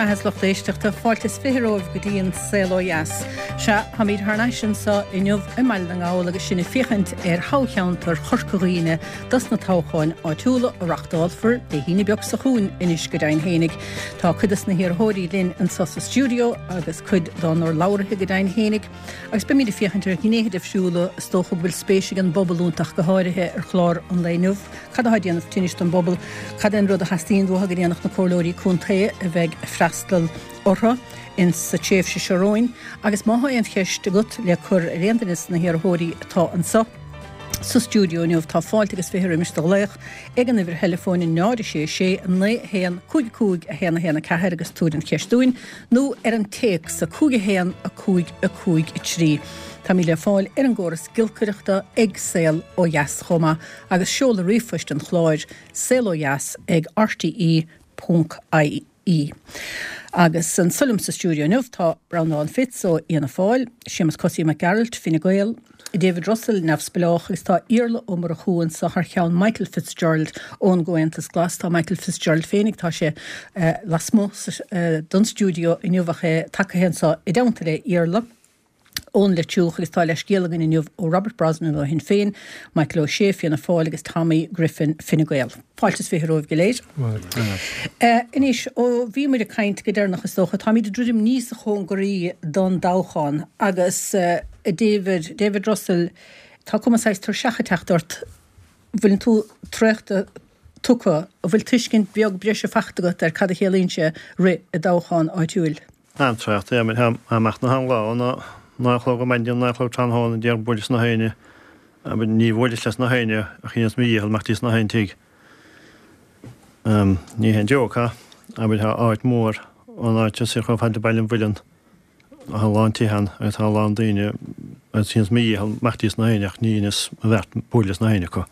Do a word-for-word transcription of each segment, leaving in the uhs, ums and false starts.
mbeatha is lucht éisteachta, fáilte is fiche romhaibh go dtí an Saol Ó Dheas. Sea, táimid thar n-ais anseo inniu i mBaile na nGall agus sinn ag féachaint ar thoghcheantar Chorca Dhuibhne dos na toghcháin áitiúla a reachtálfar Dé hAoine beag seo chugainn anois go deimhin fhéinig. Tá cuid des na hiarrthóirí linn anseo sa stiúideo agus cuid dá n-urlabhraithe go deimhin fhéinig, agus beimid ag féachaint ar ghnéithe difriúla is dócha go bhfuil spéis ag an bpobal iontu ach go háirithe ar chlár an lae inniu. Cad atá ag déanamh tinnis don bpobal? Cad é an rud a theastaíonn uathu go ndéanfadh na comhairleoirí contae a bheidh ag freastal orthu in sa tréimhse seo romhainn? Agus má tá aon cheist agat le cur ar aon duine de na hiarrthóirí atá anseo sa stiúideo inniu, tá fáilte agus fiche roimis do ghlaoch ag an uimhir theileafóin náid a sé sé naoi a haon cúig a cúig a haon a haon a ceathair agus tabhair an cheist dúinn, nó ar an téacs a cúig a haon a cúig a cúig a trí. Táimid le fáil ar an gcóras giolcaireachta ag Saol Ó Dheas chomh maith agus seoladh ríomhphoist an chláir saol ó dheas ag R T E ponc I E. Agus anseo liom sa stiúideo inniu tá Breandán Fitz ó Fhianna Fáil, Séamus Cosaí Mac Gearailt, Fine Gael, David Russell neamhspleách agus tá Iarla Ó Murchú anseo thar cheann Michael Fitzgerald ón gComhaontas Glas. Tá Michael Fitzgerald féinig, tá sé uh, lasmuigh uh, don stiúideo inniu ach é tagtha anseo i dteannta le Iarla ón Leitriúch agus tá leithscéal againn inniu ó Robert Brosnan ó Shinn Féin, Michael O'Shea Fianna Fáil agus Tommy Griffin Fine Gael. Fáilte is fiche romhaibh go léir. Uh, Anois ó bhí muid ag caint go deireanach is dócha, táimid ag druidim níos cóngaraí don toghchán agus uh, David, David Russell, tá cuma saghas tuirseach ag teacht ort, bhfuil tú traochta tugtha, an bhfuil tuiscint beag breise faighte agat ar cad a chiallaíonn sé rith i dtoghchán áitiúil. An-traochta amach na han lá ná naoi a chlog ar maidin, naoi a chlog tráthnóna déag buaileas na haoine, ní bhuaileas leis na haoine ach dheineas mo dhícheall imeacht na haon tigh. Ní haon joke ha, abair tá áit mór an áit is chomh fada Baile an Mhuilinn a lán tithe agus tá a lán daoine agus dheineas mo dhícheall imeacht na haoine ach ní dheineas mo bheart buaileas na haoine acu.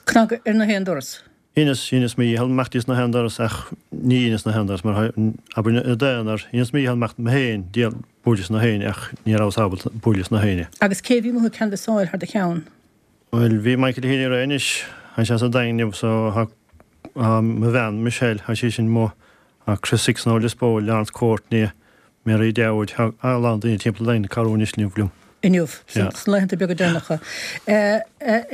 Cnag ar na haon doras. Dheineas dheineas mo dhícheall imeacht na haon doras ach ní dheineas na haon doras mar abair i d'aonar dheineas mo dhícheall imeacht mé féin díol buaileas na haoine ach ní rabhas ábalta buaileas na haoine. Agus cé bhí amuigh ag canbhasáil thar do cheann? Well bhí Michael Healy-Rae anois tá sé sa Daingean so mo bhean Michelle tá sí sin mo Chris Hickson ó Lios Póil, Lawrence Courtney, Mary Dowd, a lán daoine timpeall dain carúnis liom. Inniu sna laethanta beaga deireanacha. A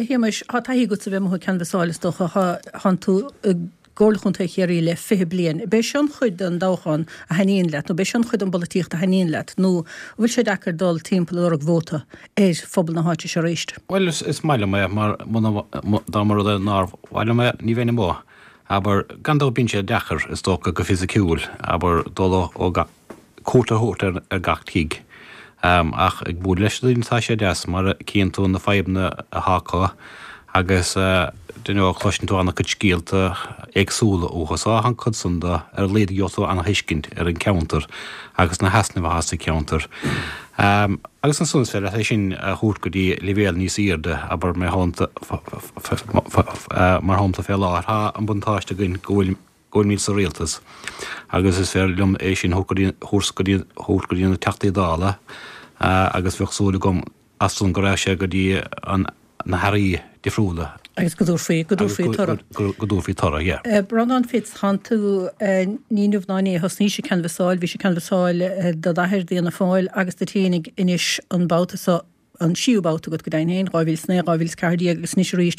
Shéamais, tá taithí agat a bheith amuigh ag canbhasáil is dócha thánn tú i gComhairle Chontae Chiarraí le fiche bliain. B'é seo an chuid den toghchán a thaitníonn leat, nó b'é seo an chuid den bpolaitíocht a thaitníonn leat, nó bhfuil sé deacair dul timpeall ag lorg vóta ar phobal na háite seo arís? Well is, is maith liom é mar dá mba rud é nár mhaith liom é ní bheinn amuigh. Aber gan dabht bíonn sé deacair is dócha go fisiciúil, aber dul ó cuairt a thabhairt ar, ar gach tigh. Um, ach ag bualadh leis daoine tá sé deas mar cíonn tú na fadhbanna atá acu agus uh, you cloiseann tú an-chuid scéalta éagsúla uathu so an chuid san de ar a laghad gheobhaidh tú an-thuiscint ar an ceantar agus na heasnaimh atá sa cheantar. Um, agus ansan is féidir é sin a thabhairt go dtí leibhéal níos airde aber mar mar shampla fé láthair tá an buntáiste againn go bhfuil go bhfuil sa rialtas. Agus is féidir liom é sin thabhairt go dtí go dtí na Teachtaí Dála agus bheadh súil agam as san go raibh sé go dtí an na hairí difriúla. Agus go dtabharfaí go dtabharfaí toradh. Go dtabharfaí toradh, yeah. Breandán Fitz, thánn tú ní inniu ná inné a thosnaís ag canbhasáil, bhí sé canbhasáil do d'athair d'Fhianna Fáil agus duit fhéinig anois an babhta seo an séú babhta agat go deimhin féin, dhá mhíle is naoi, dhá mhíle is ceathair déag agus anois arís.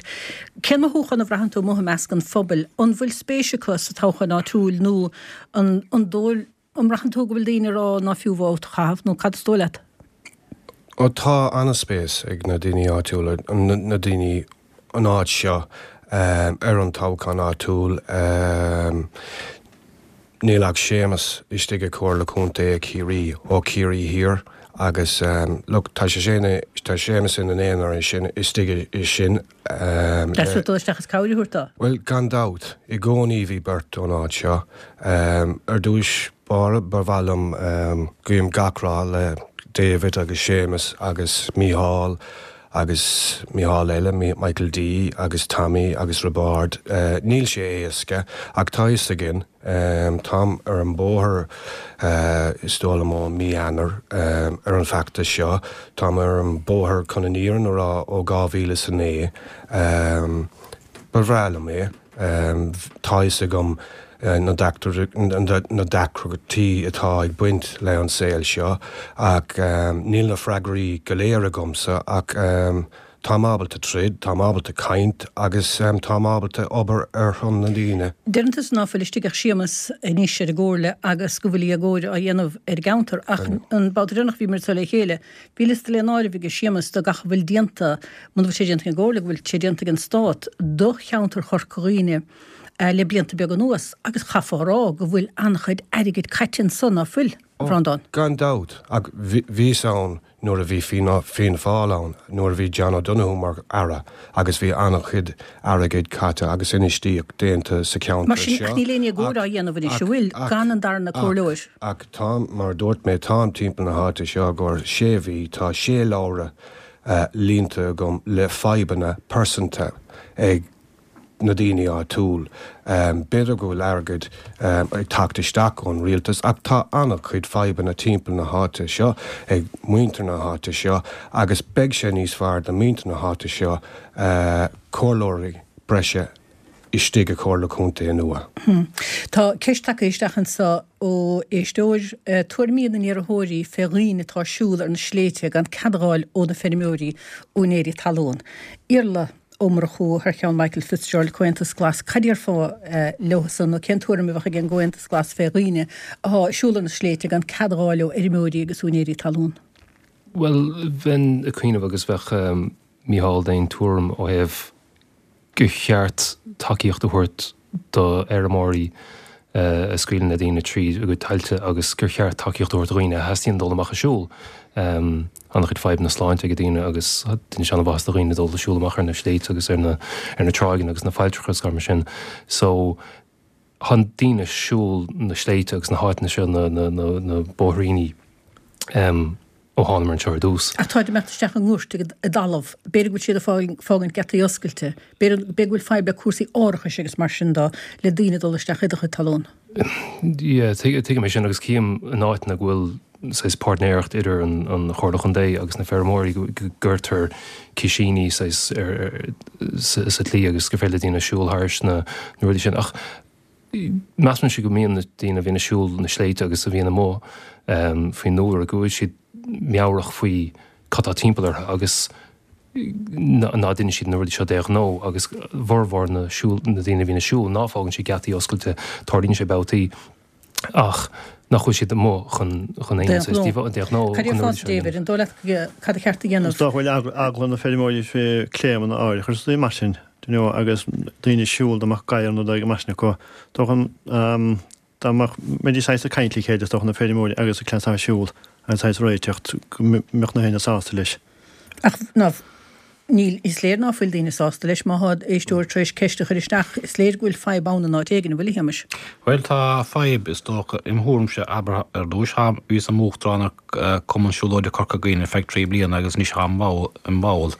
Cén mothúchán a bhraitheann tú amuigh i measc an phobail? An bhfuil spéis acu sa toghchán áitiúil nó an an dóigh an mbraitheann tú go bhfuil daoine ag rá ná fiú vóta a chaitheamh nó cad is dóigh leat? Ó tá an-spéis ag na daoine áitiúla, na daoine an áit seo ar an toghchán áitiúil. Níl ach Séamus istigh i Comhairle Contae Chiarraí ó Chiarraí Thiar agus look tá sé sin tá Séamus ina aonar sin istigh i sin. Deas dul isteach is cabhair a thabhairt dó? Well gan dabht i gcónaí bhí beirt ón áit seo. Ar dtús báire ba mhaith liom guím gach rath le David agus Séamus agus Mícheál agus Mícheál eile, Michael D agus Tommy agus Roibeárd. Níl sé éasca ach tá fhios againn táim ar an bóthar is dóigh liom ó mí Eanáir ar an bhfeachtas seo. Táim ar an bóthar chun an fhírinne a rá ó dhá mhíle is a naoi. Ba bhreá liom é. Tá fhios agam na na deacrachtaí atá ag baint le an saol seo ach níl na freagraí go léir agamsa ach táim ábalta troid, táim ábalta caint agus táim ábalta obair ar son na ndaoine. Deireann tusa ná fuil istigh ach Séamus anois ar an gcomhairle agus go bhfuil éagóir á dhéanamh ar an gceantar ach an babhta deireanach bhíomar anseo le chéile, bhí liosta le n-áireamh ag Séamus de gach a bhfuil déanta, muna bhfuil sé déanta ag an gcomhairle, go bhfuil sé déanta ag an Stát do cheantar Chorca Dhuibhne le blianta beaga anuas agus chaithfeá a rá go bhfuil an-chuid airgid caite ansan, ná fuil, a Bhreandáin? Gan dabht, ach bhíos ann nuair a bhí Fianna Fáil ann, nuair a bhí John O'Donoghue mar Aire agus bhí an-chuid airgid caite agus infheistíocht déanta sa cheantar Mar sin, seo. ach níl aon éagóir á dhéanamh anois, an bhfuil, gan an darna comhairleoir? Ach táim, mar a dúirt mé, táim timpeall na háite seo i gcomhair sé mhí, tá sé leabhra líonta agam le fadhbanna pearsanta ag na daoine áitiúil. B'fhéidir go bhfuil airgead ag teacht isteach ón rialtas ach tá an-chuid fadhbanna timpeall na háite seo ag muintir na háite seo agus beidh sé níos fearr do mhuintir na háite seo comhairleoirí breise istigh i Comhairle Contae nua. Tá ceist tagtha isteach anseo ó éisteoir, tuairimí na n-iarrthóirí fé dhaoine atá ag siúl ar na sléibhte gan cead a fháil ó na feirmeoirí, úinéirí talún. Iarla Ó Murchú thar cheann Michael Fitzgerald, Comhaontas Glas, cad déarfá leosan nó cén tuairim a bheadh ag an gComhaontas Glas fé dhaoine atá ag siúl ar na sléibhte gan cead a fháil ó fheirmeoirí agus úinéirí talún? Bhuel, bheinn ag cuimhneamh agus bheadh Mícheál d'aon tuairim ó thaobh gur cheart tacaíocht a thabhairt do fheirmeoirí a scaoileann na daoine tríd a gcuid tailte agus gur cheart tacaíocht a thabhairt do dhaoine a theastaíonn dul amach ag siúl. An-chuid fadhbanna sláinte ag daoine agus déanann sé an-mhaitheas do dhaoine dul ag siúl amach ar na sléibhte agus ar na ar na tráigheanna agus na failltreacha agus mar sin. So tá daoine ag siúl na sléibhte agus na háiteanna seo na na na na bóithríní ó thánamar anseo ar dtús. Ach táid ag imeacht isteach i ngoirt i dtalamh. B'fhéidir go bhfuil siad ag fágaint geataí oscailte. B'fhéidir go bhfuil fadhb le cúrsaí árachais agus mar sin de le daoine dul isteach i do chuid talún. Yeah, tuigim é sin agus cím in áiteanna go bhfuil saghas páirtnéireacht idir an an Chomhairle Chontae agus na feirmeoirí go gcuirtear cisíní saghas ar sa tslí agus gur féidir le daoine siúl thairis na rudaí sin. Ach measaimse go mbíonn na daoine a bhíonn ag siúl na sléibhte agus a bhíonn amuigh faoin ndúlra go bhfuil siad meabhrach faoi cad tá timpeall orthu agus ná déanann siad na rudaí seo de ghnó agus formhór na siúl na daoine a bhíonn ag siúl ná fágann siad geataí oscailte, tarlaíonn sé babhtaí ach nach bhfuil siad amuigh chun chun aon saghas díobháil de ghnó Cad chun na déarfá rudaí seo a David, dhéanamh. an dóigh leat cad a cheart a dhéanamh? Is dócha go bhfuil eagla na feirmeoirí fé claimanna áirithe agus rudaí mar sin, do you know, agus daoine ag siúl dá mbeadh gadhar nó rud mar sin acu. Dócha dá mbeadh mbeidís saghas ag caint le chéile is dócha na feirmeoirí agus an cleas atá ag siúl agus saghas réiteach go mbeadh na héinne sásta leis. Ach ná níl, is léir ná fuil daoine sásta leis má thá éisteoir tar éis ceist a chur isteach, is léir go bhfuil fadhb ann in áit éigin, an bhfuil a Shéamais? Bhuel tá fadhb is dócha im thuairimse, abair ar dtúis táim, bhíos im uachtarán ar Cumann Siúlóide Corca Dhuibhne ar feadh trí bliana agus anois táim im bhall.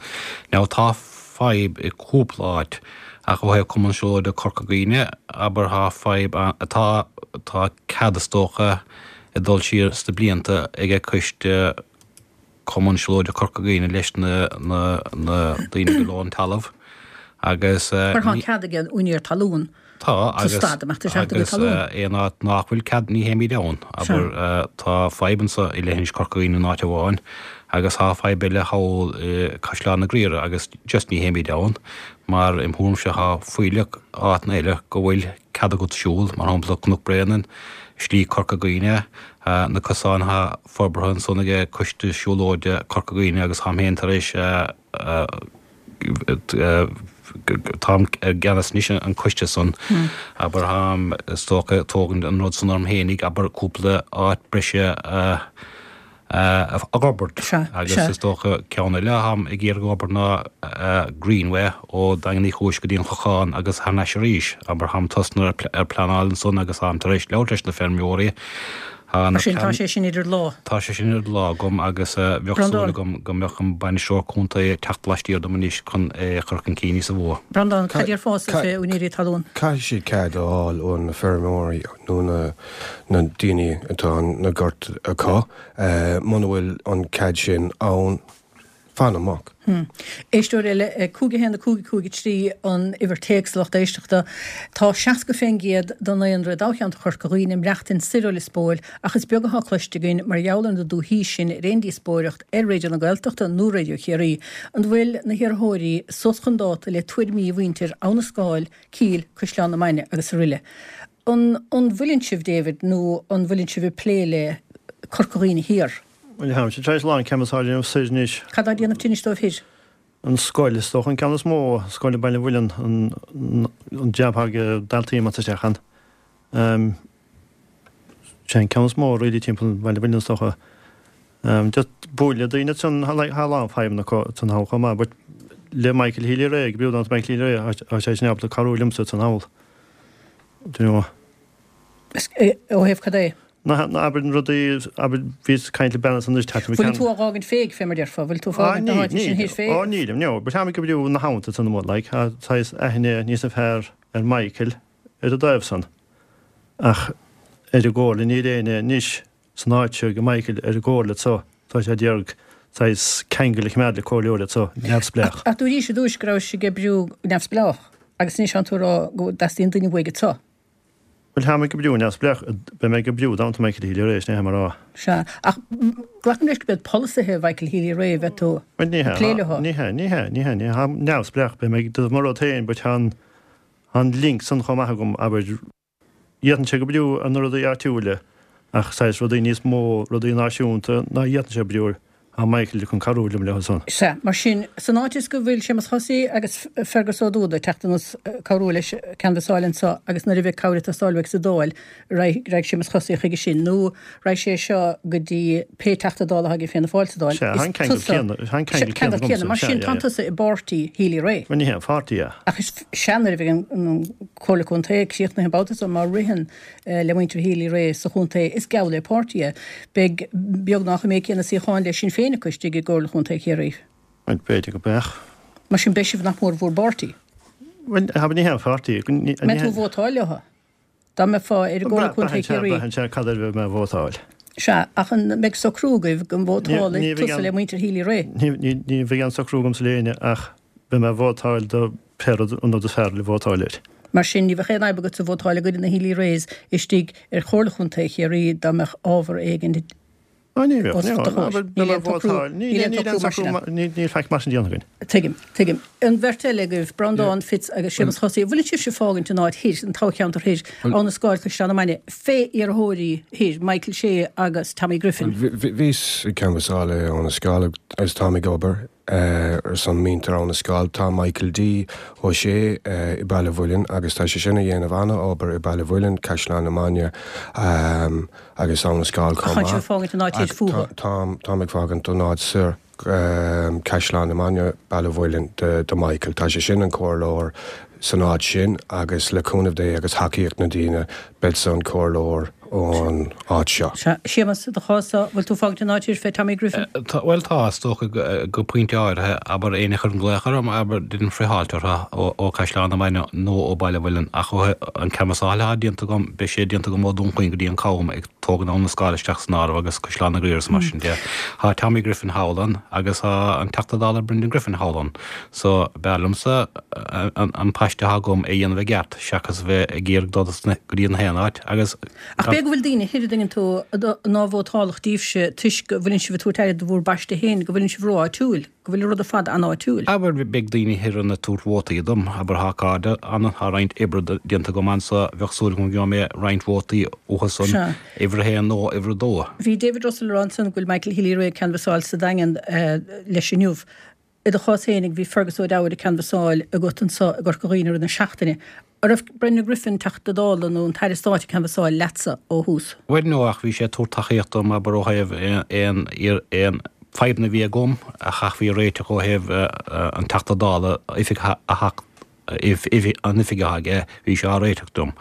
Now tá fadhb i cúpla áit ach ó thaobh Cumann Siúlóide Corca Dhuibhne, abair tá fadhb ann, tá, tá cead is dócha ag dul siar sna blianta ag coiste Cumann Siúlóide Corca Dhuibhne leis na, na, na daoine go leor an talamh agus Mar tá ní. cead ag an úinéir talún Tá sa agus, stad imeacht isteach i do chuid agus talún. aon áit nach bhfuil cead ní théimid ann, Sea. abair tá fadhb anso i leithinis Corca Dhuibhne in áit amháin agus tá fadhb eile thall i Caisleán na Griaire agus just ní théimid ann mar im thuairimse tá fuílleach áiteanna eile go bhfuil cead agat siúl, mar shampla Cnoc Bréanainn, Slí Corca Dhuibhne, na cosáin atá forbartha ansan ag Coiste Siúlóide Corca Dhuibhne agus táim féin tar éis táim i gceannas anois an coiste san, abair táim is dócha ag tógaint an rud san orm fhéinig, abair cúpla áit breise a a fhorbairt Sea, agus sea. is dócha ceann eile atáim ag iarraidh a fhorbairt ná Greenway ó Daingean Uí Chúis go dtí an Clochán agus thar n-ais arís. Abair táim tosnaithe ar pleanáil ansan agus táim tar éis labhairt leis na feirmeoirí. Tá na Mar sin, tá plean sé sin idir lámha. Tá sé sin idir lámha agam agus bheadh súil Breandán. agam go mbeadh an bainisteoir contae ag teacht laistiar dom anois chun é a chur chun cinn níosa mhó. Breandán, cad déarfása Ca- fé úinéirí talún? Caithfidh siad cead a fháil ó na feirmeoirí nó na na daoine atá na goirt acu. Muna bhfuil an cead sin ann, Fan amach. Hmm. Éisteoir eile, cúig a haon a cúig cúig a trí an uimhir téacs lucht éisteachta. Tá seasca fén gcéad den ndaonra i dtoghcheantar Chorca Dhuibhne ag maireachtaint soir ó Lios Póil ach is beag atá cloiste againn mar gheall ar na dúthaí sin ar aon díospóireacht ar Raidió na Gaeltachta nó Raidió Chiarraí. An bhfuil na hiarrthóirí suas chun dáta le tuairimí mhuintir Abha na Scáil, Cill, Caisleán na Mainge agus aroile? An an bhfuileann sibh, David, nó an bhfuileann sibh ag plé le Corca Dhuibhne Thiar? Bhuel, táimse tar éis a lán canbhasáil a dhéanamh soir anois. Cad á déanamh tinnis dóibh thoir? An scoil, is dócha an ceann is mó, scoil i Baile an Mhuilinn, an jab atá ag daltaí amach isteach ann. Sé an ceann is mó really timpeall Baile an Mhuilinn is dócha. Just bualadh le daoine ansan, tá a lán fadhbanna acu san thall chomh maith, but le Michael Healy-Rae, ag oibriú don Michael Healy-Rae, tá sé sin ábalta cabhrú liomsa san thall. Do you know? Ó thaobh cad é? Na, na, abair na rudaí, abair, bhíos ag caint le bean ansan anois, Bhfuil tú á dh'fhágaint féig, fé mar déarfá, bhfuil tú ag fágaint na háite sin thoir féig? Ó, nílim, no, but táim ag oibriú na habhann san amuigh, like, tá saghas aithne níos fearr ar Michael ar an dtaobh san. Ach ar an gcomhairle, níl éinne anois san áit seo ag Michael ar an gcomhairle so, tá sé ag iarraidh saghas ceangal a choimeád le comhairleoir so, neamhspleách. Ach dúraís ar dtúis go raibh sé ag oibriú neamhspleách, agus anois tánn tú ag rá go dteastaíonn duine uaidh so. Bhuel, táim ag oibriú neamhspleách, beidh mé ag oibriú do Michael Healy-Rae, sin é mar rá. Sea, ach glacaim leis go b'iad polasaithe Mhichael Healy-Rae a bheidh tú Bhuel, ní ag hea, plé leo. ní hea, ní hea, ní hea, ní hea, táim neamhspleách, beidh mé ag déanamh mo rud féin, but tá an, tá an link san chomh maith agam, abair, d'fhéadfainnse ag oibriú ar na rudaí áitiúla, ach saghas rudaí níos mó, rudaí náisiúnta, ná d'fhéadfainnse oibriú air. Tá Michael chun cabhrú liom leo san. Sea, mar sin, san áit is go bhfuil Séamus Chosaí agus Fergus Ó Dúda ag teacht anuas cabhrú leis canbhasáil anseo agus nuair a bheidh cabhair ag teastáil uaidh sa Dáil, raghaidh Séamus Chosaí chuige sin nó raghaidh sé seo go dtí pé Teachta Dála atá ag Fianna Fáil sa Dáil. Sea, tá an ceangal céanna, tá an ceangal céanna agamsa. Mar sin, tá tusa i bpáirtí Healy-Rae. Bhuel, ní hé an pháirtí é. Ach is sea, nuair a bheidh an Comhairle Contae críochnaithe an babhta seo, má ritheann le muintir Healy-Rae sa chontae, is geall le páirtí é. Beidh beagnach an méid céanna suíochán le Sinn Féin acu istigh i gComhairle Chontae Chiarraí. Bhuel, b'fhéidir go mbeadh. Mar sin beidh sibh nach mór bhur bpáirtí. Bhuel, ha, ní hé an pháirtí. Mbeidh tú ag vótáil leo? Dá mbeifeá ar an gComhairle Contae Chiarraí. Braitheann sé cad air a bheidh mé ag vótáil. Sea, ach an mbeidh socrú agaibh go vótálfaidh tusa le muintir Healy-Rae? Ní bheidh aon socrú agamsa le éinne ach beidh mé ag vótáil do pé rud an rud is fearr le vótáil air. Mar sin, ní bheadh aon fhadhb agatsa vótáil i gcoinne na Healy-Raes istigh ar Chomhairle Chontae Chiarraí dá mbeadh ábhar éigin Á, ní bheadh, os ní do bheadh, chomhair. Níl Níl aon socrú, níl aon socrú mar sin ann. Níl faic mar sin déanta againn. Tuigim, tuigim. An bheirt eile agaibh, Breandán Fitz agus Séamus Chosaí, an bhfuileann sibhse ag fágaint an áit thoir, an toghcheantar thoir, Abha na Scáil, Caisleán na Mainge, fé iarrthóirí thoir, Michael Shea agus Tommy Griffin? Bhíos ag canbhasáil i Abha na Scáil agus táim ag obair ar son muintir Abha na Scáil. Tá Michael D. Ó Sé i Baile Mhuilinn agus tá sé sin a dhéanamh ana-obair i Baile Mhuilinn, Caisleán na Mainge agus Abha na Scáil chomh maith. Ach tá sibh ag fágaint an áit thoir fúthu? Táim, táim ag fágaint an áit soir, Caisleán na Mainge, Baile Mhuilinn do Michael. Tá sé sin an comhairleoir san áit sin agus le cúnamh Dé agus thacaíocht na daoine beidh-sa an comhairleoir ón áit seo. Sea, Séamus, i do chás-sa, bhfuil tú ag fágaint an áit thoir fé Tommy Griffin? Tá, bhuel tá, is dócha go pointe áirithe, abair éinne a chuireann glaoch orm, abair, deinim friotháilt orthu ó Caisleán na Mainge nó ó Baile Mhuilinn ach ó an canbhasáil atá déanta agam, beidh sé déanta agam ó Dún Chaoin go dtí an Cam ag tógaint Abha na Scáil isteach san áireamh agus Caisleán na Gaoithe is mar sin de. Tá Tommy Griffin thall ann agus tá an Teachta Dála Brendan Griffin thall ann. So, b'fhearr liomsa an paiste atá agam a dhéanamh i gceart seachas a bheith ag iarraidh dul go dtí an haon áit agus Ach b'fhéidir go bhfuil daoine thoir a dtuigeann tú ná vótálfadh daoibhse toisc go bhfuileann sibh ag tabhairt aire do bhur bpaiste féin, go bhfuileann sibh ró-áitiúil, go bhfuil an rud ar fad an-áitiúil. Abair, beidh daoine thoir ann ag tabhairt vótaí dom, abair tá cairde ann, tá roinnt oibre déanta agam anso, bheadh súil agam go gheobhaidh mé roinnt vótaí uathu san, Sea. uimhir a haon nó uimhir a dó. Bhí David Russell ag rá ansan go bhfuil Michael Healy-Rae ag canbhasáil sa Daingean leis inniu. I do chás fhéinig, bhí Fergus Ó Dowd ag canbhasáil agat anso i gCorca Dhuibhne i rith na seachtaine. An raibh Brendan Griffin, Teachta Dála nó an tAire Stáit ag canbhasáil leatsa ó thús? Bhuel, no, ach bhí sé ag tabhairt tacaíocht dom, abair, ó thaobh aon, aon fadhbanna a bhí agam a chaithfí a réiteach ó thaobh an Teachta Dála, oifig a theacht, an oifig atá aige, bhí sé á réiteach dom.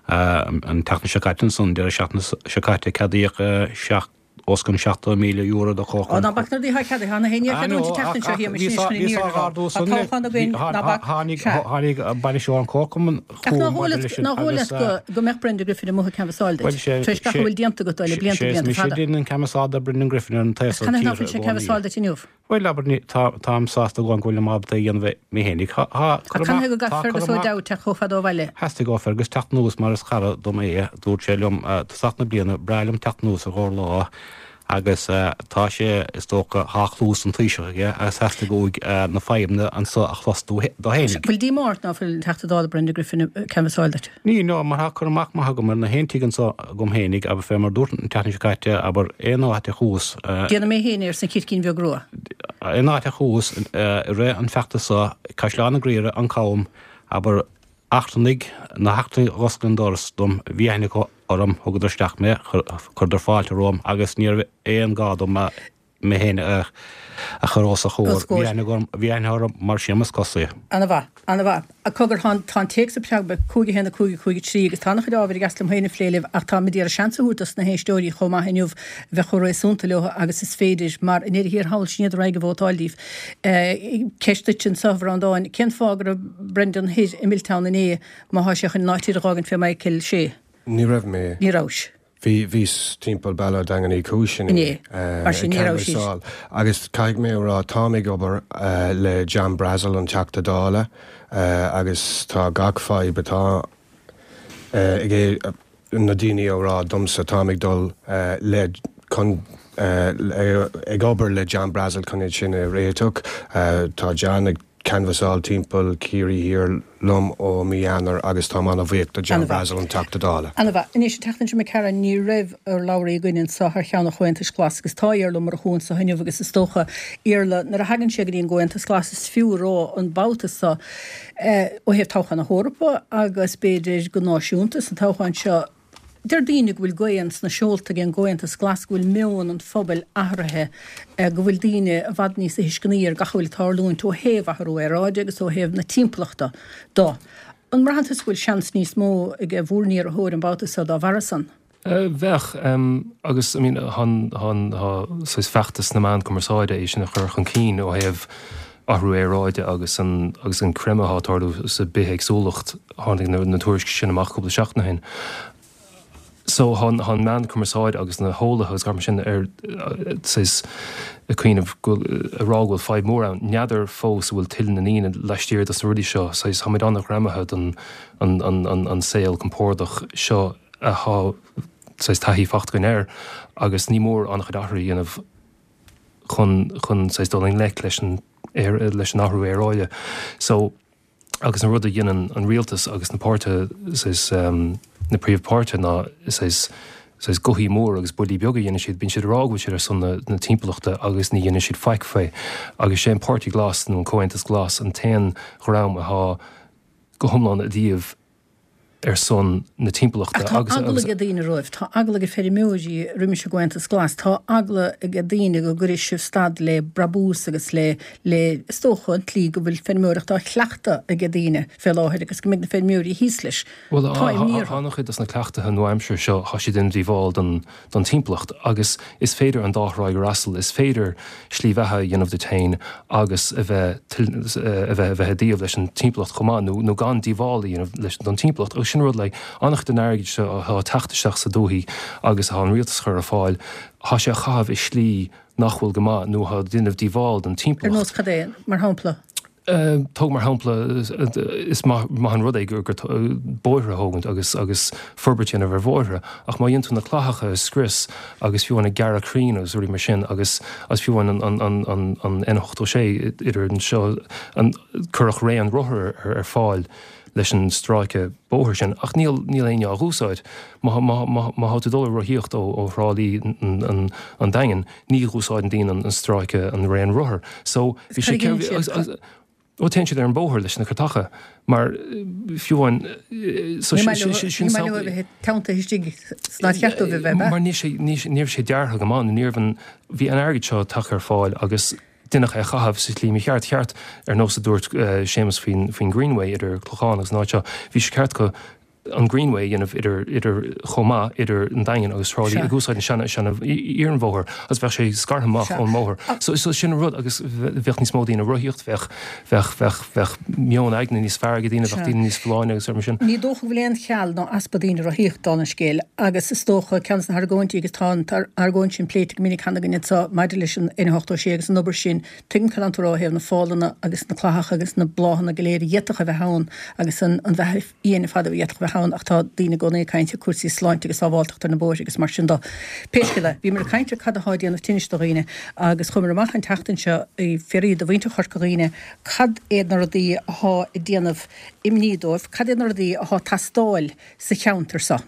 An tseachtain seo caite ansan, deireadh seachtaine seo caite, ceadaíodh seacht, os cionn seachtó míle euro do Ó, ná bac na rudaí atá ceadaithe, tá na héinne ar cheadúint an tseachtain seo, shíl mé sin chun an fhírinne a rá. Tá toghchán againn, ná bac. Tháinig tháinig bainisteoir an chomharchumainn Ach ná chugam dhóigh maidir leat leis sin ná dhóigh leat agus go go mbeadh Brendan Griffin amuigh ag canbhasáil Bhuel duit, sé tar éis gach a sé bhfuil déanta agat dó le sé blianta is blianta mise fada. a dhein an canbhasáil do Brendan Griffin ar an taobh Ach seo canathaobh nach tíre bhfuil i sé ag gcónaí. canbhasáil duit inniu? Bhuel abair ní tá táim sásta go bhfuil mé ábalta a dhéanamh mé fhéinig. Tá Ach cur canathaobh amach go tá gcaithfidh cur Fergus Ó amach Dowd teacht chomh fada ó bhaile? Theastaigh ó Fergus teacht anuas mar is cara dom é, dúirt sé liom tosach na bliana, breá liom teacht anuas ar dhá lá agus tá sé is dócha tá cluas an Taoiseach aige agus theastaigh uaidh na fadhbanna anso a chlos dó fhéinig. Bhfuil díomá ort ná fuil an Teachta Dála Brendan Griffin ag canbhasáil duit? Ní ná mar tá cur amach maith agam ar na haon tigh anso agam fhéinig abair fé mar dúirt an tseachtain seo caite abair aon áit a chuas Déanfaidh mé féin é arsa an Chircín Bheag Rua. Aon áit a chuas i rith an feachtas seo, Caisleán an Ghriaire, an Cam, abair eachtrannaigh, na heachtrannaigh a dh'oscail an doras dom, bhí aithne acu orm, thugadar isteach mé, chuireadar fáilte romham agus ní raibh aon gá dom mé féin a chur os a chomhair. Bhí aithne agam, bhí aithne orm mar Séamus Cosaí. Ana-mhaith, ana-mhaith. Cogar, tá an téacs ag preabadh, cúig a haon a cúig a cúig a trí, agus tá an-chuid ábhair i gceist liom féin a phlé libh ach táim ag iarraidh seans a thabhairt dos na héisteoirí chomh maith inniu bheith chomh réasúnta leo agus is féidir mar i ndeireadh thiar thall sin iad a raghaidh ag vótáil daoibh. Ceist duit anseo a Bhreandáin, cén fáth go raibh Brendan thoir i Milltown inné má thá sé chun an áit thiar a dh'fhágaint fé Michael Shea? Ní raibh mé. Ní rabhais. Bhí, bhíos timpeall Baile Daingean Uí Chúis inné. Inné. Mar sin ní raibh siad. Agus caithfidh mé a rá, táim ag obair le John Brassil, an Teachta Dála, agus tá gach fadhb atá ag na daoine á rá domsa, táim ag dul le chun ag obair le John Brassil chun iad sin a réiteach. Tá John ag canbhasáil timpeall Ciarraí Thiar liom ó mí Eanáir agus táim an-bhuíoch do John Brassil, an Teachta Dála. Ana-mhaith. Anois, an tseachtain seo imigh tharainn ní raibh urlabhraí againn anseo thar cheann an Chomhaontais Ghlais agus tá Iarla Ó Murchú anseo inniu agus is dócha, Iarla, nuair a thagann sé go dtí an gComhaontas Glas is fiú a rá an babhta seo ó thaobh toghchán na hEorpa agus b'fhéidir go náisiúnta san toghchán seo, Deir daoine go bhfuil gaoth sna seolta ag an gComhaontas Glas, go bhfuil meon an phobail athraithe, go bhfuil daoine i bhfad níos tuisceanaí ar gach a bhfuil ag tarlúint ó thaobh athrú aeráide agus ó thaobh na timpeallachta de. An mbraitheann tusa go bhfuil seans níos mó ag bhur n-iarrthóir an babhta seo dá bharra san? Bheadh, agus I mean tá tá saghas feachtas na meán cumarsáide é sin a chur chun cinn ó thaobh athrú aeráide agus an agus an creimeadh atá ag tarlú sa bithéagsúlacht, tháinig na tuairiscí sin amach cúpla seachtain ó shin. So tá an meán cumarsáide agus na heolaithe agus gach mar sin ar saghas ag cuimhneamh go ag rá go bhfuil fadhb mór ann. N'fheadar fós an bhfuil tuile na ndaoine laistiar dos na rudaí seo. Saghas táimid an-ghreamaithe don an an an an saol compordach seo atá saghas taithí faighte againn air agus ní mór an-chuid athrú a dhéanamh chun chun saghas dul i ngleic leis an leis an athrú aeráide. So agus an rud a dhéanann an rialtas agus na páirtithe saghas na príomhpháirtithe ná saghas saghas gothaí mór agus buillí beaga a dhéanann siad, bíonn siad ag rá go bhfuil siad ar son na na timpeallachta agus ní dhéanann siad faic faoi. Agus sé an Páirtí Glas nó an Comhaontas Glas an t-aon dhream atá go hiomlán i dtaobh ar son na timpeallachta Ach tá agus eagla agus ag daoine romhaibh, tá eagla ag feirmeoirí roimis an gComhaontas Glas, tá eagla ag daoine go gcuirfidh sibh stad le brabús agus le, le, is dócha, an tslí go bhfuil feirmeoireacht á chleachtadh ag daoine fé láthair agus go mbeidh na feirmeoirí thíos leis. Bhuel, Tá imní tá orthu. an-chuid dos na cleachtaithe nua-aimseartha seo, tá siad ag déanamh díobháil don, don timpeallacht agus is féidir an dá thráigh a fhreastal, is féidir slí bheatha a dhéanamh duit féin agus a bheith, a bheith, a bheith i dtaobh leis an timpeallacht chomh maith nó, nó gan díobháil a dhéanamh leis, don timpeallacht. Agus sin rud like an-chuid den airgead seo atá ag teacht isteach sa dúthaigh agus atá an rialtas a chur ar fáil, tá sé á chaitheamh i slí nach bhfuil go maith nó atá ag déanamh díobháil don Ar timpeallacht. nós cad é, mar shampla? Tóg mar shampla, is maith an rud é gur bóithre a thógaint agus agus forbairt a dhéanamh ar bhóithre, ach má dhéanann tú na clathacha a scrios agus fiú amháin ag gearradh crainn agus rudaí mar sin agus agus fiú amháin an an an an N ochtó sé idir anseo an cuireadh raon rothar ar ar fáil leis an stráice bóthair sin, ach níl níl éinne á dh'úsáid. Má má má má thá tú dul ag rothaíocht ó ó Thrá Lí an an an Daingean, ní dh'úsáideann daoine an an stráice an raon rothar. So bhí Cad sé a dhéanann siad? agus ó téann siad ar an bóthar leis na cartacha mar fiú amháin so Ní sin maith leo sin sin ní maith leo a sampla bheith teanntaithe istigh san áit cheart dóibh a bheith, ab ea? Mar ní sé ní ní raibh sé deartha go maith nó ní raibh an bhí an airgead seo tagtha ar fáil agus deineadh é a chaitheamh sa tslí mícheart. Cheart, ar nós a dúirt Séamus faoin faoin Greenway idir Clochán agus an áit seo, bhí sé ceart go an Greenway a dhéanamh idir idir chomh maith idir an Daingean agus Trá Lí ag úsáid an seana seana iarnbhóthar agus bheadh sé scartha amach ón mbóthar. So so sin an rud agus bheadh níos mó daoine ag rothaíocht, bheadh bheadh bheadh bheadh meon aigne níos fearr ag daoine, bheadh daoine níos folláine agus mar sin. Ní dócha go bhfuil aon cheal ná easpa daoine ag rothaíocht dála an scéil agus is dócha ceann de na hargóintí agus tá an argóint sin pléite go minic cheana againn anseo maidir leis an N ochtó sé agus an obair sin, tuigim cad tánn tú a rá ó thaobh na fálanna agus na clathacha agus na bláthanna go léir a d'fhéadfadh a bheith ann agus an an bheatha fhiáin ar fad a d'fhéadfadh a bheith ann ach tá daoine i gcónaí ag caint ar cúrsaí sláinte agus sábháilteachta ar na bóithre agus mar sin de. Pé scéal é, bhíomar ag caint ar cad atá ag déanamh tinnis do dhaoine agus chuamar amach an tseachtain seo ag fiafraí de mhuintir Chorca Dhuibhne cad iad na rudaí athá ag déanamh imní dóibh, cad iad na rudaí athá ag teastáil sa cheantar seo.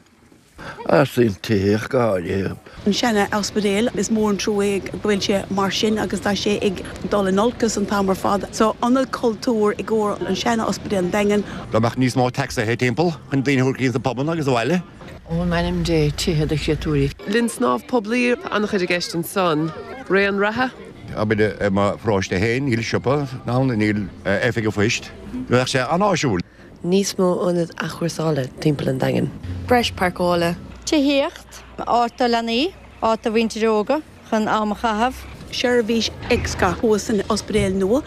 An tithíocht go háirithe. An seana-ospidéal, is mór an trua é go bhfuil sé mar sin agus tá sé ag dul in olcas an t-am ar fad. So, ionad cultúir i gcomhair an seana-ospidéal an Daingean. Dá mbeadh níos mó tacsaithe timpeall chun daoine a thabhairt go dtí na pubanna agus abhaile. Ó m'anam Dé, tithe do chréatúirí. Linn snámh poiblí, an-chuid i gceist ansan. Raon reatha. Abair i mo pharóiste féin, níl siopa ann, níl oifig an phoist. Bheadh sé an-áisiúil. Níos mó ionad athchúrsála timpeall an Daingin. Breis páirceála. Tithíocht, áit do leanaí, áit do mhuintir óga chun am a chaitheamh. Seirbhís X-gha thuas san ospidéal nua.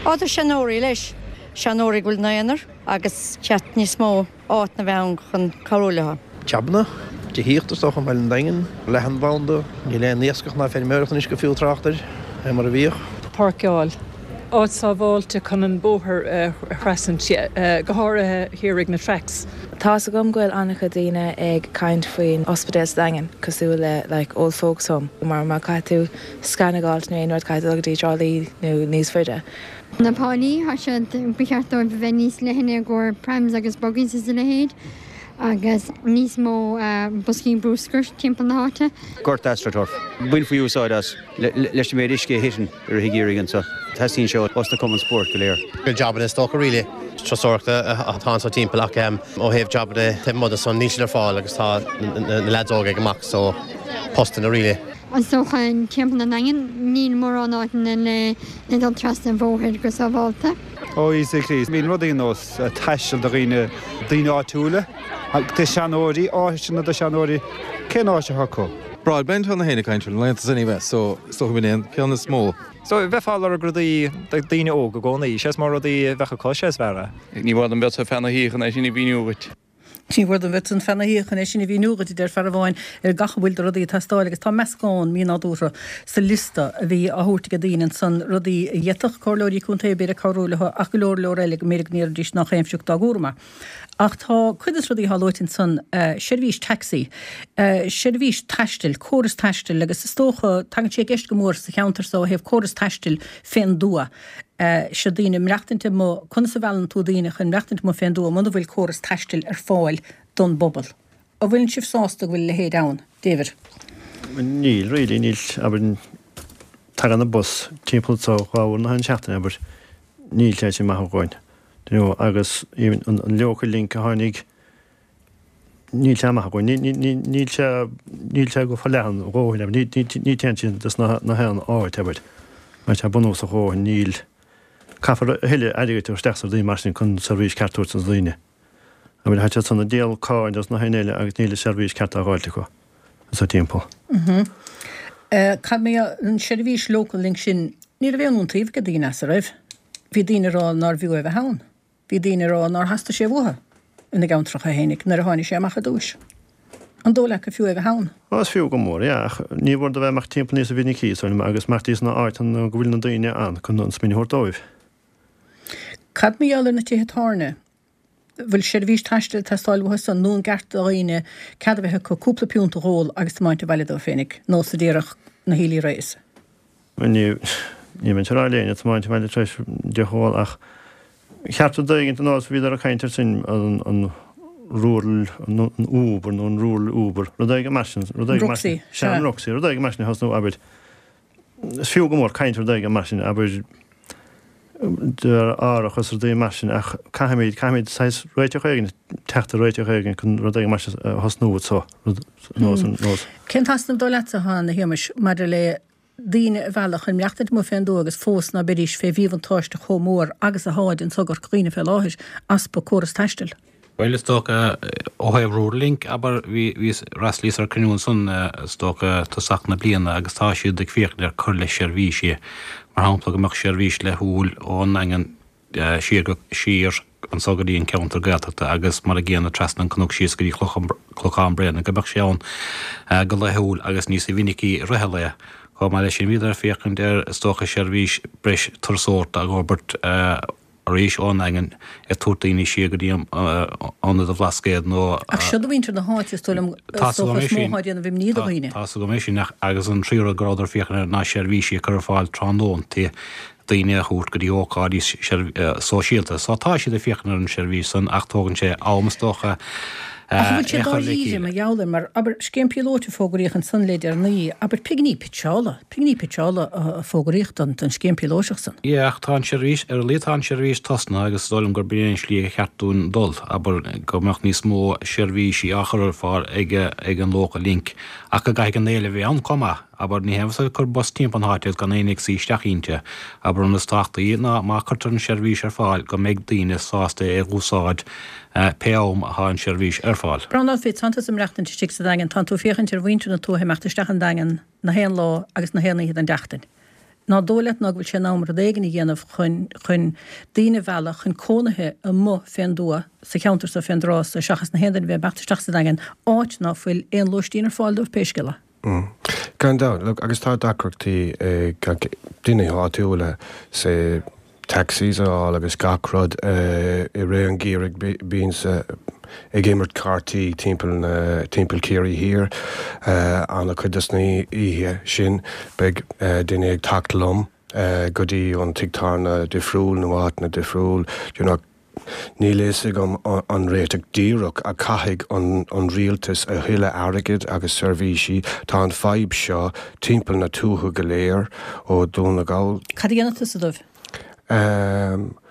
Áit do seanóirí leis, seanóirí go bhfuil ina n-aonar agus ceart níos mó áiteanna a bheith ann chun cabhrú leo. Jabanna, tithíocht is dócha i mbaile an Daingin, leathanbhanda, níl aon iascach ná feirmeoireacht anois go fiú trácht air mar a bhíodh. Páirceáil. Áit sábháilte chun an bóthar a thrasnú, go háirithe thiar ag na tracks. Tá's agam go bhfuil an-chuid daoine ag caint faoin ospidéal sa Daingean, cosúil le like old folks home, mar má caithfidh tú scan a fháilt nó aon rud caithfidh tú dul go dtí Trá Lí nó níos faide. Na pálaí, tá siad, ba cheart dóibh a bheith níos leithne i gcomhair prams agus buggies is a leithéid agus níos mó boscaí bruscair timpeall na háite. Gort AstroTurf. Bhainfí úsáid as leis an méid uisce a thiteann i rith an gheimhridh anseo. Teastaíonn sé os na cumainn spóirt go léir. Jabanna is dócha really turasóireachta atá anso timpeall ach ó thaobh jabanna taobh amuigh de san níl siad ar fáil agus tá na leaids óga ag amach so postanna really. Is dócha timpeall an Daingin níl mórán áiteanna le le dul trasna an bhóthair go sábháilte. Ó Íosa Críost, bíonn rudaí ar nós taisteal do dhaoine, daoine áitiúla, do seanóirí, áiteanna do seanóirí, cén áit atá acu? Broadband tá na héinne ag caint faoin laethanta anyway, so is dócha b'in é an ceann is mó. So bheifeá ag lorg rudaí do daoine óga i gcónaí, sé is mó rudaí a bheadh acu, sé is fearr é. Ní bhfuair an bheadh feadh na hoíche chun é sin a mhíniú dhuit. Ní bhfuair an bheadh feadh na hoíche chun é sin a mhíniú dhuit, a deir fear amháin, ar gach a bhfuil de rudaí ag teastáil agus tá meascán mínádúrtha sa liosta a bhí á thabhairt ag daoine ansan, rudaí a d'fhéadfadh comhairleoirí contae b'fhéidir cabhrú leo ach go leor leor eile go mb'fhéidir go ndéarfaidís nach aon phioc dá gcúram é. Ach tá cuid de na rudaí atá luaite ansan, seirbhís taxi, seirbhís taistil, córas taistil agus is dócha, tagann sé i gceist go mór sa cheantar so ó thaobh córas taistil fén dtuath. Seo daoine ag maireachtaint amuigh, conas a mheallann tú daoine chun maireachtaint amuigh fén dtuath muna bhfuil córas taistil ar fáil don bpobal? An bhfuileann sibh sásta go bhfuil a leithéid ann, David? Níl, really, níl, abair, tagann an bus timpeall anseo dhá uair in aghaidh na seachtaine, abair, níl sé sin maith againn, you know, agus even an local link a tháinig, níl sé maith againn, níl sé, níl sé go forleathan a dhóthain, abair, ní téann sé dos na haon áit, abair, mar tá bunúsach a dhóthain, níl. Caithfear a thuilleadh airgid a chur isteach sna rudaí mar sin chun seirbhís ceart a thabhairt dos na daoine. Abair, tá siad san ag díol cáin dos na haon eile agus níl an seirbhís ceart á dh'fháilt acu anso timpeall. Cad mé an seirbhís local link sin, ní raibh aon iontaoibh ag daoine as, a raibh? Bhí daoine ag rá nárbh fhiú é a bheith ann. Bhí daoine ag rá nár theastaigh sé uathu ina gceantracha fhéinig nuair a tháinig sé amach ar dtúis. An dóigh leat gur fiú é a bheith ann? Ó, is fiú go mór, yeah, ach ní mhór do bheith amach timpeall níosa mhinicí, is dóigh liom, agus imeacht sna áiteanna go bhfuil na daoine ann chun an smaoineamh a thabhairt dóibh. Cad mar gheall ar na tithe tábhairne? Bhfuil seirbhís taistil ag teastáil uathu san nó an gceart do dhaoine cead a bheith acu cúpla piúnt a dh'ól agus tiomáint abhaile dóibh féinig, nós a déarfadh na Healy-Raes? Ní ní bheinn ag rá le éinne tiomáint abhaile tar éis deoch a ól ach cheart rud éigin ar nós bhíodar ag caint ar sin an an rural an Uber nó an rural Uber rud éigin mar sin rud éigin mar sin sea an Roxy rud éigin mar sin a thosnú abair is fiú go mór caint rud éigin mar sin abair árachas rudaí mar sin ach caithfimid caithfimid saghas réiteach éigin teacht ar réiteach éigin chun rud éigin mar sin a thosnú so rud nós an nós. Cén t-easnamh dóigh leatsa atá ann a Shéamais maidir le daoine a mhealladh chun maireachtaint amuigh fén dtuath agus fós ná beidís fé mhíbhuntáiste chomh mór agus atháid anso i gCorca Dhuibhne fé láthair, easpa córas taistil? Bhuel, is dócha, ó thaobh Rural Link, abair, bhí fhreastalaíos ar cruinniú ansan, is dócha, tosach na bliana agus tá siad ag féachaint ar cur le seirbhísí, mar shampla go mbeadh seirbhís laethúil ón nDaingean siar go, siar anso go dtí an ceantar Gaeltachta agus mar a gcéanna trasna an cnoc síos go dtí Clochán Bréanainn, go mbeadh sé ann go laethúil agus níos mhinicí i rith an lae. Chomh maith leis sin bhíodar ag féachaint ar, is dócha, seirbhís breis turasóireachta a fhorbairt, arís ón nDaingean ag tabhairt daoine siar go dtí ionad an Bhlascaoid nó. Ach seo do mhuintir na háite, is dóigh liom, is dócha is mó atá ag déanamh imní do dhaoine. Tá's agam é sin ach agus an tríú rud go rabhadar ag féachaint air ná seirbhísí a chur ar fáil tráthnóntaí daoine a thabhairt go dtí ócáidí sóisialta. So tá siad ag féachaint ar an seirbhís san ach tógann sé am is dócha Ach an bhfuil sé dáiríre mar gheall air, mar abair scéim píolóit a fógraíodh ansan le deireanaí, abair pinginí pitseála, pinginí pitseála a fógraíodh don don scéim píolóiseach san. Yeah, ach tá an seirbhís, ar a laghad tá an seirbhís tosnaithe agus is dóigh liom gurb in é an slí a cheart dúinn dul, abair go mbeadh níos mó seirbhísí á chur ar fáil ag ag an Local Link ach go gcaithfidh an éileamh a bheith ann chomh maith. Abair, ní haon mhaith ag cur bus timpeall na háite agus gan éinne ag suí isteach inti. Abair, an rud is tábhachtaí ná má cuirtear an seirbhís ar fáil go mbeidh daoine sásta é a dh'úsáid pé am atá an seirbhís ar fáil. Breandán Fitz, tánn tusa ag maireachtaint istigh sa Daingean, tánn tú ag féachaint ar mhuintir na tuaithe imeacht isteach an Daingean na haon lá agus na haon oíche den tseachtain. Ná dóigh leat ná go bhfuil sé in am rud éigin a dhéanamh chun chun daoine a mhealladh chun cónaithe amuigh fén dtuath sa cheantar so fén dtráth so seachas na haon duine a bheith ag imeacht isteach sa Daingean, áit ná fuil aon lóistín ar fáil dóibh pé scéal é. Gan dabht, look, agus tá deacrachtaí ag daoine áitiúla say taxis a fháil agus gach rud i rith an gheimhridh bímse ag imirt cártaí timpeall na timpeall Ciarraí Thiar an-chuid dos na oíche sin beidh duine ag teacht liom go dtí an tigh tábhairne difriúil nó áiteanna difriúil you know Níl a fhios agam an réiteach díreach ach caithfidh an rialtas a thuilleadh airgid agus seirbhísí. Tá an fadhb seo timpeall na tuaithe go léir, ó Dhún na Gall. Cad a dhéanfadh tusa dóibh?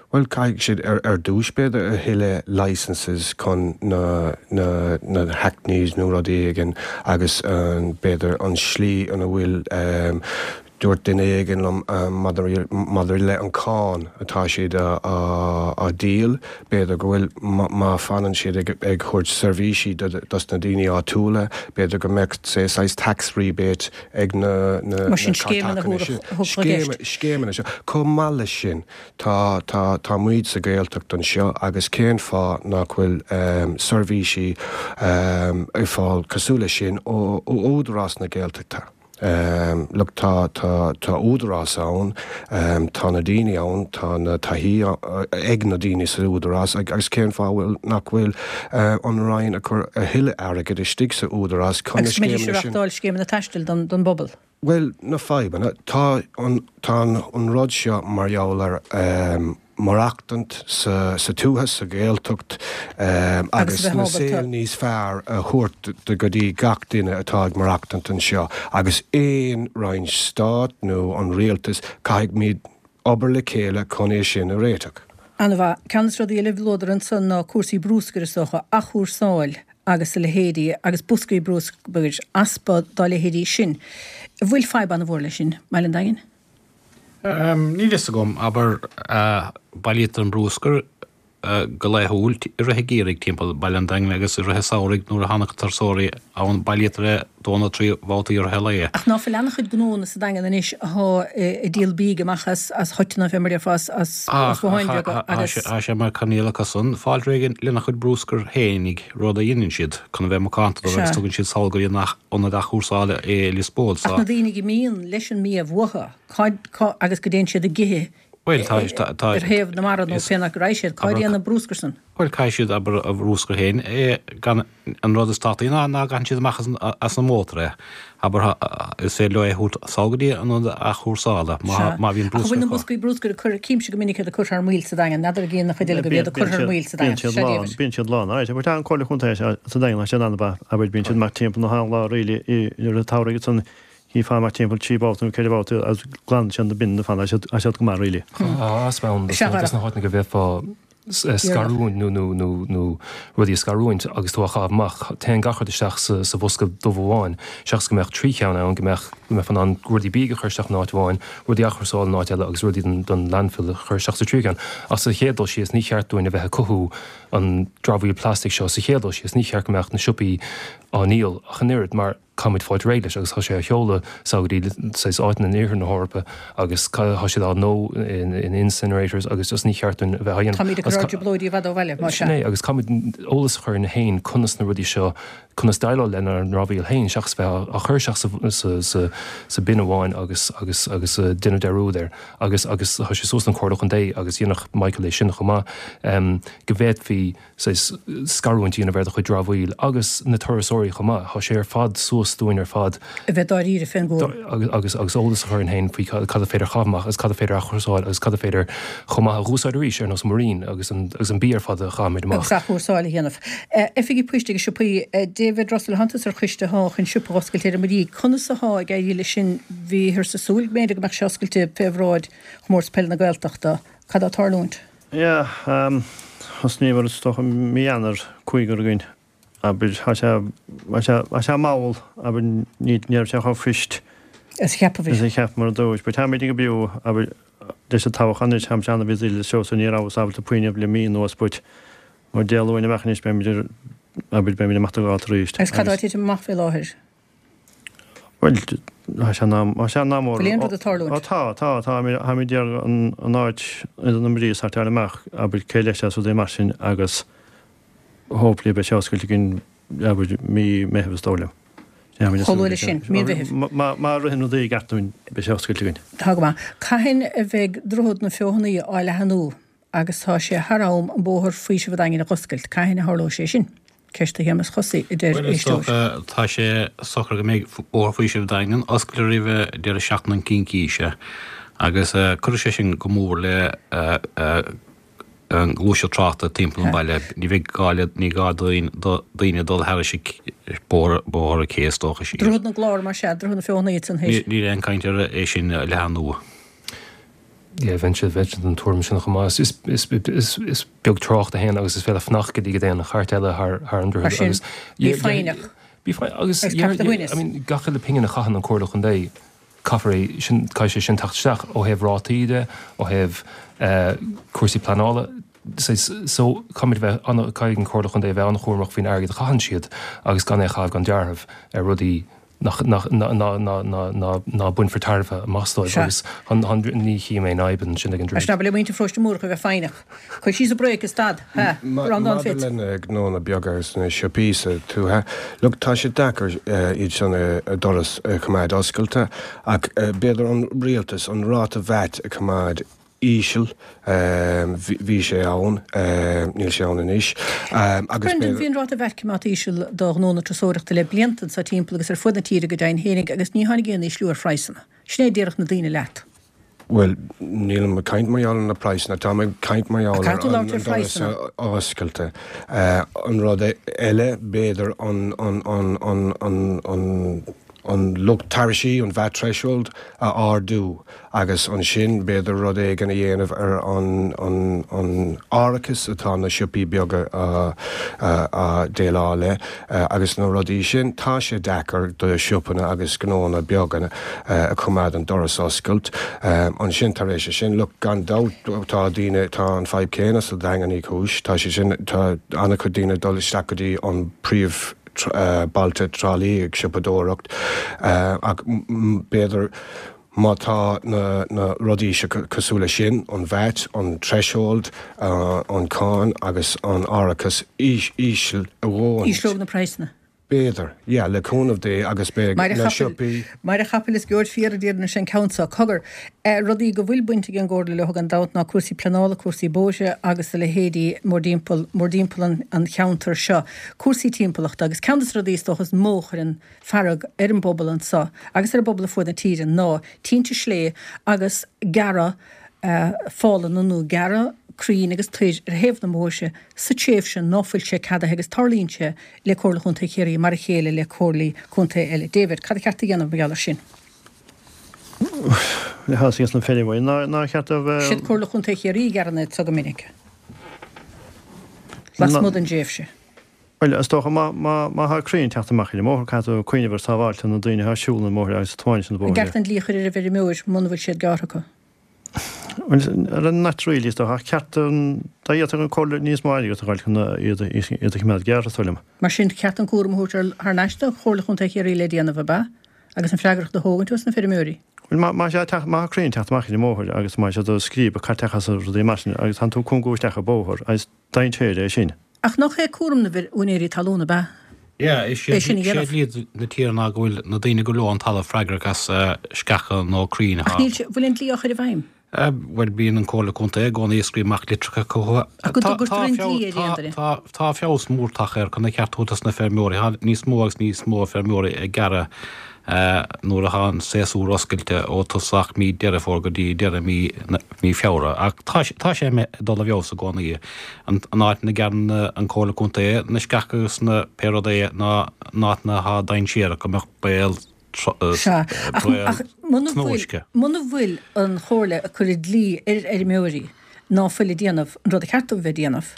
Bhuel, caithfidh siad ar dtús, b'fhéidir, a thuilleadh licenses chun na na hackneys nó rudaí éigin agus b'fhéidir an slí ina bhfuil Dúirt duine éigin liom maidir le an cáin atá siad á díol, b'fhéidir go bhfuil, má fanann siad ag thabhairt seirbhísí dos na daoine áitiúla, b'fhéidir go mbeadh, say, saghas tax rebate ag na Mar sin scéimeanna a thabharfadh i gceist. Scéimeanna seo. Chomh maith leis sin, tá, tá, tá muid sa Ghaeltacht anseo agus cén fáth nach bhfuil seirbhísí ar fáil cosúil leis sin ó Údarás na Gaeltachta? Look, tá, tá, tá údarás ann, tá na daoine ann, tá na taithí ag na daoine sa údarás agus cén fáth bhfuil, nach bhfuil an Roinn ag cur a thuilleadh airgid istigh sa údarás chun na Agus go mbeidís scéimeanna ag sin. reachtáil scéimeanna taistil don, don bpobal. Bhuel, na fadhbanna, tá an, tá an rud seo mar gheall ar, maireachtaint sa tuath, sa Ghaeltacht agus na saol níos fearr a thabhairt do go dtí gach duine atá ag maireachtaint anseo agus aon roinn stáit nó an rialtas, caithfimid obair le chéile chun é sin a réiteach. An-mhaith. Ceann de na rudaí eile a luadar ansan ná cúrsaí brúscair is dócha, athchúrsáil agus a leithéidí agus boscaí brúscair, easpa dá leithéidí sin. An bhfuil fadhb an-mhór leis sin i mBaile an Daingin? Níl fhios agam, abair, bailítear an brúscar go laethúil i rith an gheimhridh timpeall Baile an Daingin agus i rith an samhraidh nuair a thagann turasóirí ann bailítear é dó nó trí bhabhtaí i rith an lae. Ach ná fuil an-chuid gnónna sa Daingean anois athá ag díol bídh amach as as thoiteanna fé mar a déarfá as as botháin bheaga agus. Tá sé mar choinníoll acusan fáil réidh lena chuid brúscair fhéinig, rud a dheineann siad chun a bheith macánta dóibh agus tugann siad sall go dtí an ionad athchúrsála é i Lios Póil. Ach na daoine go mbíonn leis an mbia uathu, cá, cá, agus go dtéann siad ag ithe Bhuel, tá, tá, tá, ar thaobh na mara nó pé áit go raghaidh siad, cá dtéann an brúscar san? Bhuel, caithfidh siad, abair, a bhrúscar féin, é, gan, an rud is tábhachtaí ná ná gcaitheann siad amach as an, as an mótar é. Abair, is féidir leo é a thabhairt sall go dtí an ionad athchúrsála má, Sea. má bhíonn Ach an bhfuil brúscar na acu. boscaí brúscair ag cur, címse go minic iad ag cur thar maoil sa Daingean, n'fheadar an gcíonn an chuid eile agaibh iad ag cur thar maoil sa Bíonn Daingean. siad Sea, lán, David. bíonn siad lán. Alright, abair, tá an Comhairle Contae sa Daingean, tá siad an-mhaith, abair, bíonn siad amach timpeall na haon lá really i, i rith an tsamhraidh agus an, Chífeá amach timpeall trí bhabhta nó ceithre bhabhta agus glanann siad na binn ar fad, tá siad go maith really. Tá easpa ann dos na háiteanna go bhféadfá scarúint nó nó nó nó rudaí a scarúint agus tú á chaitheamh amach, téann gach rud isteach sa sa bhosca dubh amháin, seachas go mbeadh trí cheann ann, go mbeadh go mbeifeá in ann rudaí bídh a chur isteach in áit amháin, rudaí athchúrsála in áit eile agus rudaí don don landfill a chur isteach sa tríú ceann. Ach sa chéad dul síos, ní cheart dúinn a bheith ag cothú an dramhaíl plastic seo sa chéad dul síos, ní cheart go mbeadh na siopaí á ndíol ach an oiread mar caithfimid fáilt réidh leis agus tá sé á sheoladh sall go dtí saghas áiteanna in iarthar na hEorpa agus tá siad á ndó in incinerators agus just ní cheart dúinn a bheith á dhéanamh. Táimid ag cur ár dtrioblóidí i bhfad ó bhaile, más ea. Sin é agus caithfimid eolas a chur orainn féin conas na rudaí seo, conas déileáil lenár ndramhaíl féin seachas bheith á chur isteach sa sa sa bin amháin agus agus agus déanamh dearúd air agus agus tá sé suas don Chomhairle Chontae agus dhéanfadh Michael é sin chomh maith go bhféadfaí saghas scarúint a dhéanamh ar do chuid dramhaíl agus na turasóirí chomh maith. Tá sé ar fad suas dúinn ar fad. A bheith dáiríre fén gcúram. Agus agus eolas a chur orainn féin faoi cad is féidir a chaitheamh amach agus cad is féidir a athchúrsáil agus cad is féidir chomh maith a dh'úsáid arís ar nós muirín agus an agus an bia ar fad a chaithimid amach. Agus athchúrsáil a dhéanamh. Oifigí poist agus siopaí. David Russell, thánn tusa ar choiste athá chun siopa a dh'oscailt ar an Muirígh. Conas athá ag éirí leis sin? Bhíothas ag súil go mb'fhéidir go mbeadh sé oscailte fé bhráid Chomórtas Peile na Gaeltachta. Cad atá ag tarlúint? Yeah, thosnaíomar is dócha mí Eanáir, cúigear againn, abair, tá sé, tá sé, tá sé mall, abair, ní, ní raibh sé chomh fuist Is a cheapamar. is a cheapamar ar dtús, but táimid ag oibriú, abair, leis an toghchán anois, táimid an-busy le seo so ní rabhas ábalta puinn le mí anuas, but ó Dé Luain amach anois beimid ar, abair, beimid amach do dháta arís. Agus cad atá ag titim amach faoi láthair? Bhuel, tá sé in am, tá sé in am Bhfuil aon rud ag tarlúint? Ó tá, tá, tá, táimid ag iarraidh an, an áit idir na Muirí a sortáil amach, abair, cé leis as rudaí mar sin agus hopefully beidh sé oscailte againn, abair, mí Meitheamh is dóigh liom. Chomh luath leis sin, mí Mheithimh. Má, má ritheann rudaí i gceart dúinn, beidh sé oscailte againn. Tá go maith. Cathain a bheidh Droichead na Feothanaí á leathanú agus tá sé thar am an bóthar Faoiseamh an Daingin a dh'oscailt, cathain a tharlóidh sé sin? Ceist do Shéamus Chosaí, a deir Bhuel, is éisteoir. dócha, tá sé socair go mbeidh Bóthar Faoiseamh an Daingin oscailte roimh deireadh seachtaine na Cincíse agus cuirfidh sé sin go mór le an ghluaiseacht tráchta timpeall an bhaile. Ní bheidh gá le, ní gá do dhaoine dul thairis bóthar, Bóthar an Ché is dócha siar. Droichead na gClár, más ea, Droichead na Feothanaí ansan théis. Níl aon chaint ar é sin a leathnú. Yeah, bheinnse, bheinnse den tuairim sin chomh maith. Is, is, is, is beag trácht a théann agus is féidir fanacht go dtí go dtéann an chairt eile thar, thar an Mar droichead sin, agus bí foighneach. Bí foighneach agus Agus ceapadh do dhuine. I mean, gach uile pingin a chaitheann an Comhairle Chontae, caithfear é sin, caithfidh sé sin teacht isteach ó thaobh rátaí de, ó thaobh eh, cúrsaí pleanála. So, so caithfimid a bheith an, caithfidh an Comhairle Chontae a bheith an-chúramach faoin airgead a chaitheann siad agus gan é a chaitheamh gan dealramh ar rudaí nach ná bainfear tairbhe amach dóibh agus ní chím aon fhadhb ansin ag an Mar sin abair le muintir Pharóiste Múrach a bheith foighneach. Cuir síos an brake is stad. Ha! Breandán Maidir Fitz. le na gnónna beaga agus na siopaí sa tuaithe, look, tá sé deacair iad sin a doras a choimeád oscailte ach b'fhéidir an rialtas an ráta VAT a choimeád íseal, bhí sé ann, níl sé ann anois, agus Brendan, bhí an ráta VAT coimeádta íseal do ghnónna turasóireachta le blianta anseo timpeall agus ar fud na tíre go deimhin fhéinig agus ní tháinig aon ísliú ar phraghsanna. Sin é a déarfadh na daoine leat. Bhuel, nílim ag caint mar gheall ar na praghsanna, táim ag caint mar gheall ar an doras oscailte. An rud eile, b'fhéidir an, an, an, an, an, an, an lucht tairisí, an VAT threshold, a ardú agus ansin b'fhéidir rud éigin a dhéanamh ar an an an árachas atá na siopaí beaga á déileáil le agus na rudaí sin. Tá sé deacair do siopanna agus gnónna beaga a choimeád an doras oscailt. Ansin tar éis sin, look, gan dabht tá daoine, tá an fadhb céanna sa Daingean Uí Chúis, tá sé sin, tá an-chuid daoine ag dul isteach go dtí an príomh bailte Trá Lí ag siopadóireacht ach b'fhéidir má tá na na rudaí seo cosúil leis sin, an VAT, an threshold, an cáin agus an árachas íseal a dhóthain. Ísleodh na praghsanna. B'fhéidir, yeah, le cúnamh Dé agus beidh na siopaí. Maire chapaill is gheobhaid fiar a déarfainn an ceann seo. Cogar, rudaí go bhfuil baint ag an gComhairle leo gan dabht ná cúrsaí pleanála, cúrsaí bóithre agus a leithéidí mórdtimpeall, mórdtimpeall an cheantair seo. Cúrsaí timpeallachta agus ceann de na rudaí is dócha is mó a chuireann fearg ar an bpobal anseo agus ar an bpobal ar fuaid na tíre ná tinte slé agus gearradh fálanna nó gearradh crainn agus toir ar thaobh na mbóithre sa tréimhse ná fuil sé ceadaithe agus tarlaíonn sé le Comhairle Chontae Chiarraí mar a chéile le comhairlí contae eile. David, cad a cheart a dhéanamh mar gheall air sin? Le hAsas na feirmeoirí, nár cheart a bheith. Siad Comhairle Chontae Chiarraí a ghearrann iad so go minic. Lasmuigh den dtréimhse. Bhuel, is dócha má má má thá crainn ag teacht amach ar an mbóthar, caithfidh tú cuimhneamh ar sábháilte na daoine atá ag siúl an bhóthair agus ag tiomáint an An bhóthair. gceart an dlí a chur ar an bhfeirmeoir muna bhfuil siad gearrtha acu? Bhuel, ar an not really, is dócha, ach ceart an dá fhéadfadh an comhairle níos mó airgead a fháil chun iad a iad a choimeád gearrtha, is dóigh liom. Mar sin, ceart an cúram a thabhairt ar thar n-ais do Chomhairle Chontae Chiarraí le déanamh, ab ea? Agus an freagracht a thógaint os na feirmeoirí? Bhuel, má má sé teacht má thá crainn ag teacht amach ar an mbóthar agus má siad ag scríobadh caiteachas agus rudaí mar sin agus tánn tú ag cúngú isteach an bóthar agus dainséar é sin. Ach nach é cúram na úinéirí talún, ab ea? Yeah, is É sin a dhéanamh. dlí na tíre ná go bhfuil na daoine go leo an talamh freagrach as sceacha nó crainn Ach níl sé, bhfuil an dlí á chur i bhfeidhm? Bhuel bíonn an Comhairle Contae i gcónaí ag scríobh amach litreacha chucu. Ach go dtugtar an dlí ar aon duine. Tá tá feabhas mór tagtha air chun a cheart dos na feirmeoirí, tá níos mó agus níos mó feirmeoirí ag gearradh nuair atá an séasúr oscailte ó tosach mí Deireadh Fómhair go dtí deireadh mí mí Feabhra. Ach tá tá sé ag dul i bhfeabhas i gcónaí. An an áit ina gcearn an Comhairle Contae na sceacha agus na pé rud é ná an áit ina thá dainséarach go mbeadh baol Sea, ach ach muna bhfuil muna bhfuil an chomhairle ag cur an dlí ar fheirmeoirí ná fuil ag déanamh an rud a cheart dóibh bheith ag déanamh,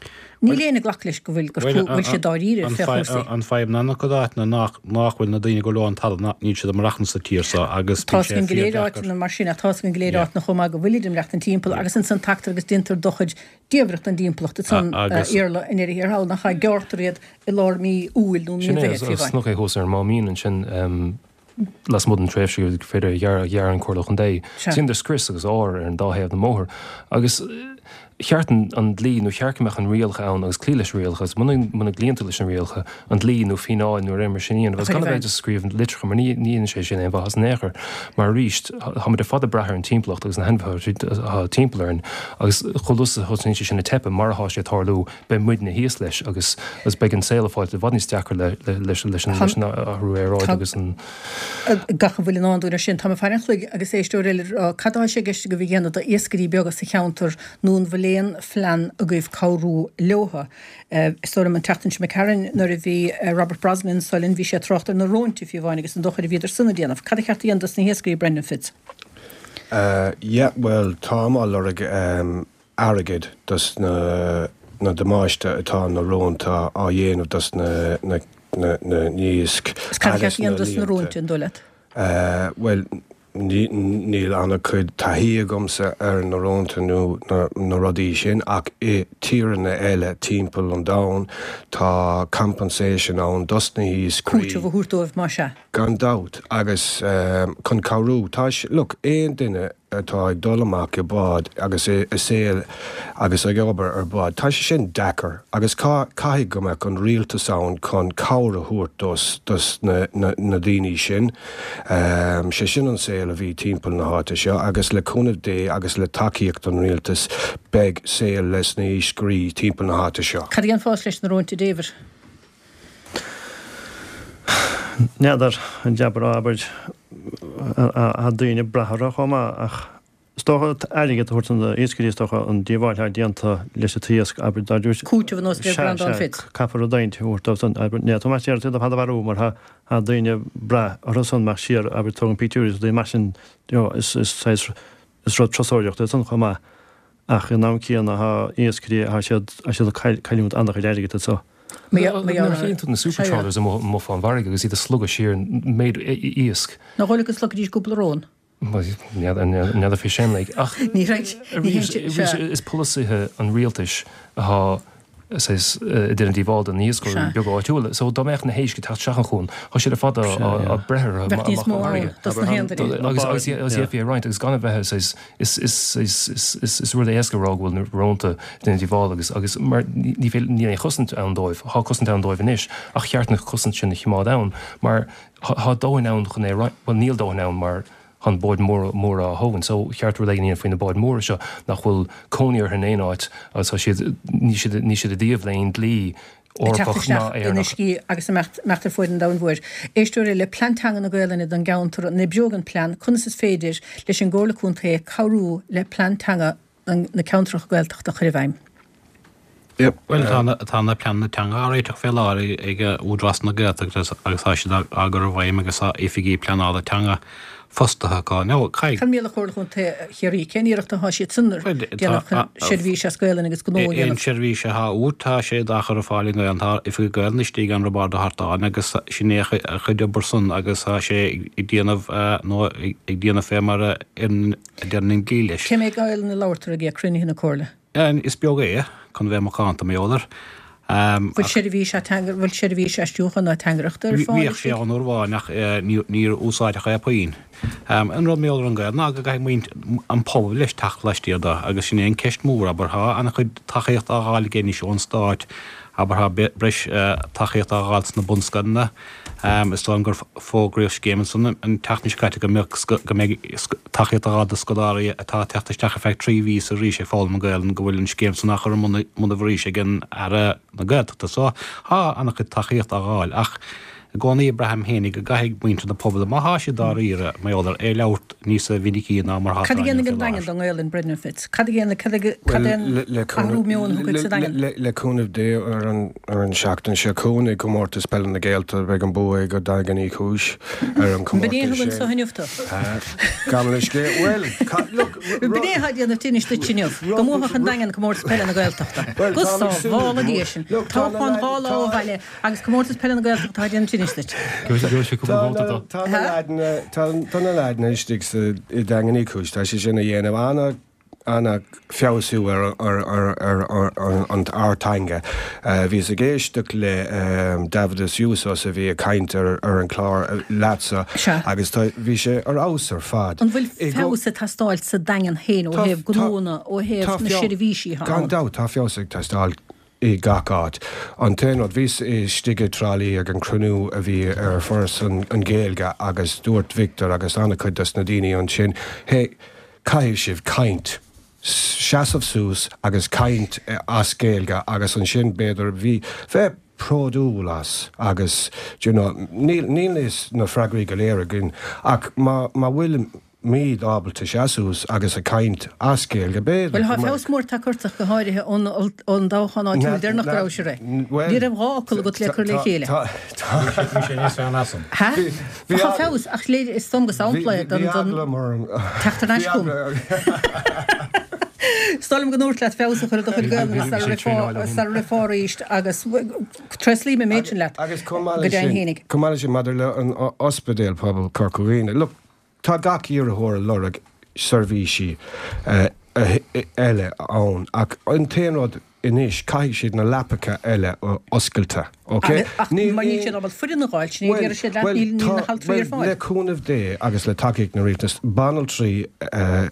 níl éinne ag glacadh leis go bhfuil gur bhfuil siad dáiríre fé chúrsaí. An fadhb ná na cuid áiteanna nach nach bhfuil na daoine go leo an talamh ná níl siad ag maireachtaint sa tír seo agus Tá an go léir áiteanna mar sin ach tá an go léir áiteanna chomh maith go bhfuilid ag maireachtaint timpeall agus ansan tagtar agus déantar dochar diamhrach don dtimpeallacht ansan iarla i ndeireadh thiar thall nach ea gearrtar iad i lár mí Iúil nó mí Sin an é, Mheithimh fiú is amháin. nach é thuas ar an Máimín ansin lasmuigh den tréimhse gur féidir a ghearradh, a ghearr an Comhairle Chontae. Sea. Déantar scrios agus ár ar an dá thaobh den mbóthar. Agus cheart an, an dlí nó cheart go mbeadh an rialacha ann agus cloí leis na rialacha agus muna, muna gcloíonn tú leis na rialacha, an dlí nó fíneáil nó rud mar sin a dhéanamh. A Agus chur i gan a bheith bhfeidhm. just ag scríobh litreacha mar ní, ní dhéanann sé sin aon mhaitheas in aon chor. Mar arís, táimid ar fad ag brath ar an timpeallacht agus na hainmhithe atá timpeall orainn agus chomh luath is a thosaíonn sé sin ag teipeadh mar atá sé ag tarlú, beidh muidne thíos leis agus, agus beidh an saol ag fáilt i bhfad níos deacra le, le, leis, leis an, leis an athrú aeráide Tá- agus an. Gach a bhfuil i ndán dúinn ar sin, tá mé ag faire an chloig agus éisteoir eile ag rá, cad atá sé i gceist agaibh a dhéanamh d'iascairí beaga sa cheantar nó an bhfuil aon phlean agaibh cabhrú leotha? Is dóigh liom an tseachtain seo imigh tharainn nuair a bhí Robert Brosnan anso linn bhí sé ag trácht ar na róinte fiú amháin agus an dochar a bhíodar san ag déanamh. Cad a cheart a dhéanamh dos na hiascairí, Brendan Fitz? Uh, yeah, well, táim á lorg um, airgead dos na, na damáiste atá na rónta á dhéanamh dos na, na, na, na n-iasc Is cad a agus cheart a dhéanamh na dos na líonta. róinte, an dóigh leat? Uh, well, ní, níl an-chuid taithí agamsa ar na rónta nó na, na rudaí sin ach i tíortha eile timpeall an domhain tá compensation ann dos na hiascairí. Cúiteamh a thabhairt dóibh más ea. Gan dabht agus um, chun cabhrú tá look aon duine atá ag dul amach i bád agus i, i saol agus ag obair ar bád. Tá sé sin deacair agus ca, caithfidh go mbeadh an rialtas ann chun cabhair a thabhairt dos, dos na, na, na daoine sin. Um, sé sin an saol a bhí timpeall na háite seo agus le cúnamh Dé agus le tacaíocht an rialtas beidh saol leis na hiascairí timpeall na háite seo. Cad a dhéanfá leis na róinte David? N'fheadar an deabair abair a daoine brathra chomh maith ach is dócha airgead a thabhairt na iascairí is dócha an díobháil atá déanta leis an t-iasc abair dá dúirt Cúiteamh ar nós de Breandán Fitz. Caithfear rud éigin a thabhairt dóibh san abair ní tá siar iad fada mharú mar tha tha daoine brath orthu san mar siar abair tógann pictiúirí is daoine mar sin you know, is is is is rud turasóireachta é san chomh maith ach in am céanna tha iascairí tha siad tha siad ag cailliúint an-chuid airgid so. Nuair a chíonn tú na super trawlers amuigh amuigh fán bhfarraige agus iad ag slogadh siar méid iasc. Nach dóigh leat go slogfaidís cúpla rón? N'fheadar faoi sin like ach Ní raibh ní arís sea. is polasaithe an rialtais atá saghas ag déanamh díobháil do na hiascairí Sea. beaga áitiúla. So dá mbeadh na héisc ag teacht isteach an chuan, tá siad ar fad á Sea, á yeah. breith orthu Bheadh níos amach mó ón ann bhfarraige. dos na haon duine. Agus agus agus Yeah. iad a roinnt agus gan a bheith saghas is is is is is is rud éasca a rá go bhfuil na rónta ag déanamh díobháil agus agus mar ní ní féidir níl aon chosaint ann dóibh, Thá cosaint ann dóibh anois ach cheart na cosaint sin a choimeád ann mar thá thá dóthain ann chun é roinnt, well níl dóthain ann mar tá na báid móra móra á thógaint, so cheart rud éigin a dhéanamh faoi na báid móra seo nach bhfuil cónaí orthu in aon áit agus tá siad ní siad ní siad i dtaobh le aon dlí Ag teacht Eorpach ná isteach in Éireannach. uiscí agus imeacht imeacht ar fuaid an domhain mhóir. Éisteoir eile plean teanga na Gaelainne don gceantar an oibreoidh an plean, conas is féidir leis an gComhairle Contae cabhrú le plean teanga an- na ceantracha Gaeltachta a chur i bhfeidhm. Yep. Well tá na tá na pleananna teanga á réiteach fé láthair ag Údarás na Gaeltachta agus tá siad á gcur i bhfeidhm agus tá oifigí pleanála teanga fostaithe acu. Now, caithfidh. Cad mar gheall ar Chomhairle Chontae Chiarraí, cén iarracht atá siad san a dhéanamh chun seirbhís as Gaelainn agus gnó a Aon dhéanamh? seirbhís atá uait, tá sé á chur ar fáil i nGaelainn. Tá oifigigh Gaelainne istigh ann Roibeárd Ó hArtáin agus sin é a chuid obair san agus tá sé ag déanamh nó ag déanamh fé mar a deireann an dlí leis. Cé mhéad Gaelainn a labhartar ag cruinnithe na Comhairle? Is beag é, chun bheith macánta, mar gheall air. Bhfuil seirbhís ateangaire, bhfuil seirbhís aistriúcháin nó ateangaireachta ar fáil Bhíodh sé istigh? ann uair amháin ach níor úsáideadh é puinn. An rud mar gheall ar an Ghaeilge ná go gcaithfidh muintir an pobal leis teacht laistiar de agus sin é an ceist mhór, abair. Tá an-chuid tacaíocht á dh'fháil aige anois ón Stát, abair, tá breis tacaíocht á dh'fháil sna bunscoileanna. Is dóigh liom gur fógraíodh scéim ansan an tseachtain seo caite go mbeadh go mbeidh tacaíocht á dh'fháil do scoláirí atá ag teacht isteach ar feadh trí mhíosa arís ag foghlaim an Ghaelainn go bhfuil an scéim san á chur i mbun i mbun arís ag an Aire na Gaeltachta. So tá an-chuid tacaíocht á dh'fháil ach i gcónaí braithim fhéinig go gcaithfidh muintir na pobail má thá siad dáiríre mar gheall air é labhairt níosa mhinicí ná mar thá Cad a inniu dhéanfaidh fé an Daingean láthair. don nGaelainn, Brendan Fitz? Cad a dhéanfaidh, cad a, cad é an Bhuel, le athrú meoin a thiocfaidh sa Daingean? Le, le cúnamh Dé ar an, ar an seachtain seo chugainn i gcomórtas peile na Gaeltachta beidh an bua ag Daingean Uí Chúis ar an B'in é chomórtas a thugann sin. seo inniu tú. Gabh mo leithscéal. Bhuel, ca, look, B'in é atá ag déanamh tinnis duit inniu, go mbuafadh an Daingean comórtas peile na Gaeltachta. Bhuel, Go táim ag súil sábhála go Dia mór. sinn. Look, tá na Toghchán leaid, dhá lá ó tá, bhaile agus comórtas peile na Gaeltachta atá ag déanamh tinnis duit. Gheobhaidh sé cúpla Tá vóta na, dó. tá na leaideanna, tá, tá na leaideanna istigh sa, i Daingean Uí Chúis, tá sé sin a dhéanamh ana, ana feabhsú ar, ar, ar, ar, ar, ar an ár teanga. Uh, Bhíos ag éisteacht le um, Davidas Jusas a bhí ag caint ar, ar an chlár uh, leatsa Sea. agus tá, bhí sé ar fheabhas ar fad. An bhfuil I go- feabhas ag teastáil sa Daingean féin ó Tá- thaobh tá- gnónna, ó thaobh tá na feabh- seirbhísí atá Gan ann? dabht tá feabhas ag teastáil i gach áit. An t-aon rud bhíos istigh i dTrá Lí ag an cruinniú a bhí ar Foras an, an Ghaeilge agus dúirt Victor agus an-chuid des na daoine ansin, hey, caithfidh sibh caint. Seasamh suas agus caint eh, as Gaeilge agus ansin b'fhéidir bhí bheith bródúil as agus you know, níl níl is na freagraí go léir againn ach má má bhfuil míad ábalta seasamh agus a caint as Gaeilge b'fhéidir Bhuel, tá go mbeadh- feabhas mór tagtha go háirithe ón ón dtoghchán áitiúil Na- deireanach go na- raibh sé ré. well, Ní raibh dhá fhocal agat le cur le tá- chéile. tá- Bhí sé níos fearr ná san. Ha? bhí Tá ag- feabhas ach léir is dom go sampla Bhí- don bhí don eagla mar an- teacht ar ais bhí chugam. eagla- Is dóigh liom go ndúirt leat feabhas a chur ar do chuid Bhí- Gaelainne bhí- bhí sar sé rifá traenáil ó shin. sar rifá arís agus tréaslaím an méid sin leat Agus chomh maith go leis deimhin sin- fhéinig. chomh maith leis sin maidir le an o- ospidéal pobal Corca Dhuibhne. Look, tá gach iarrthóir ag lorg seirbhísí eh, eh, eile ann ach an t-aon rud anois caithfidh siad na leapacha eile a oscailte. Okay? Ach mar níl siad ábalta foireann a fháil, sin é d'iarr siad leat níl níl na haltraí ar fáil. Le cúnamh Dé agus le tacaíocht na rialtas banaltraí eh,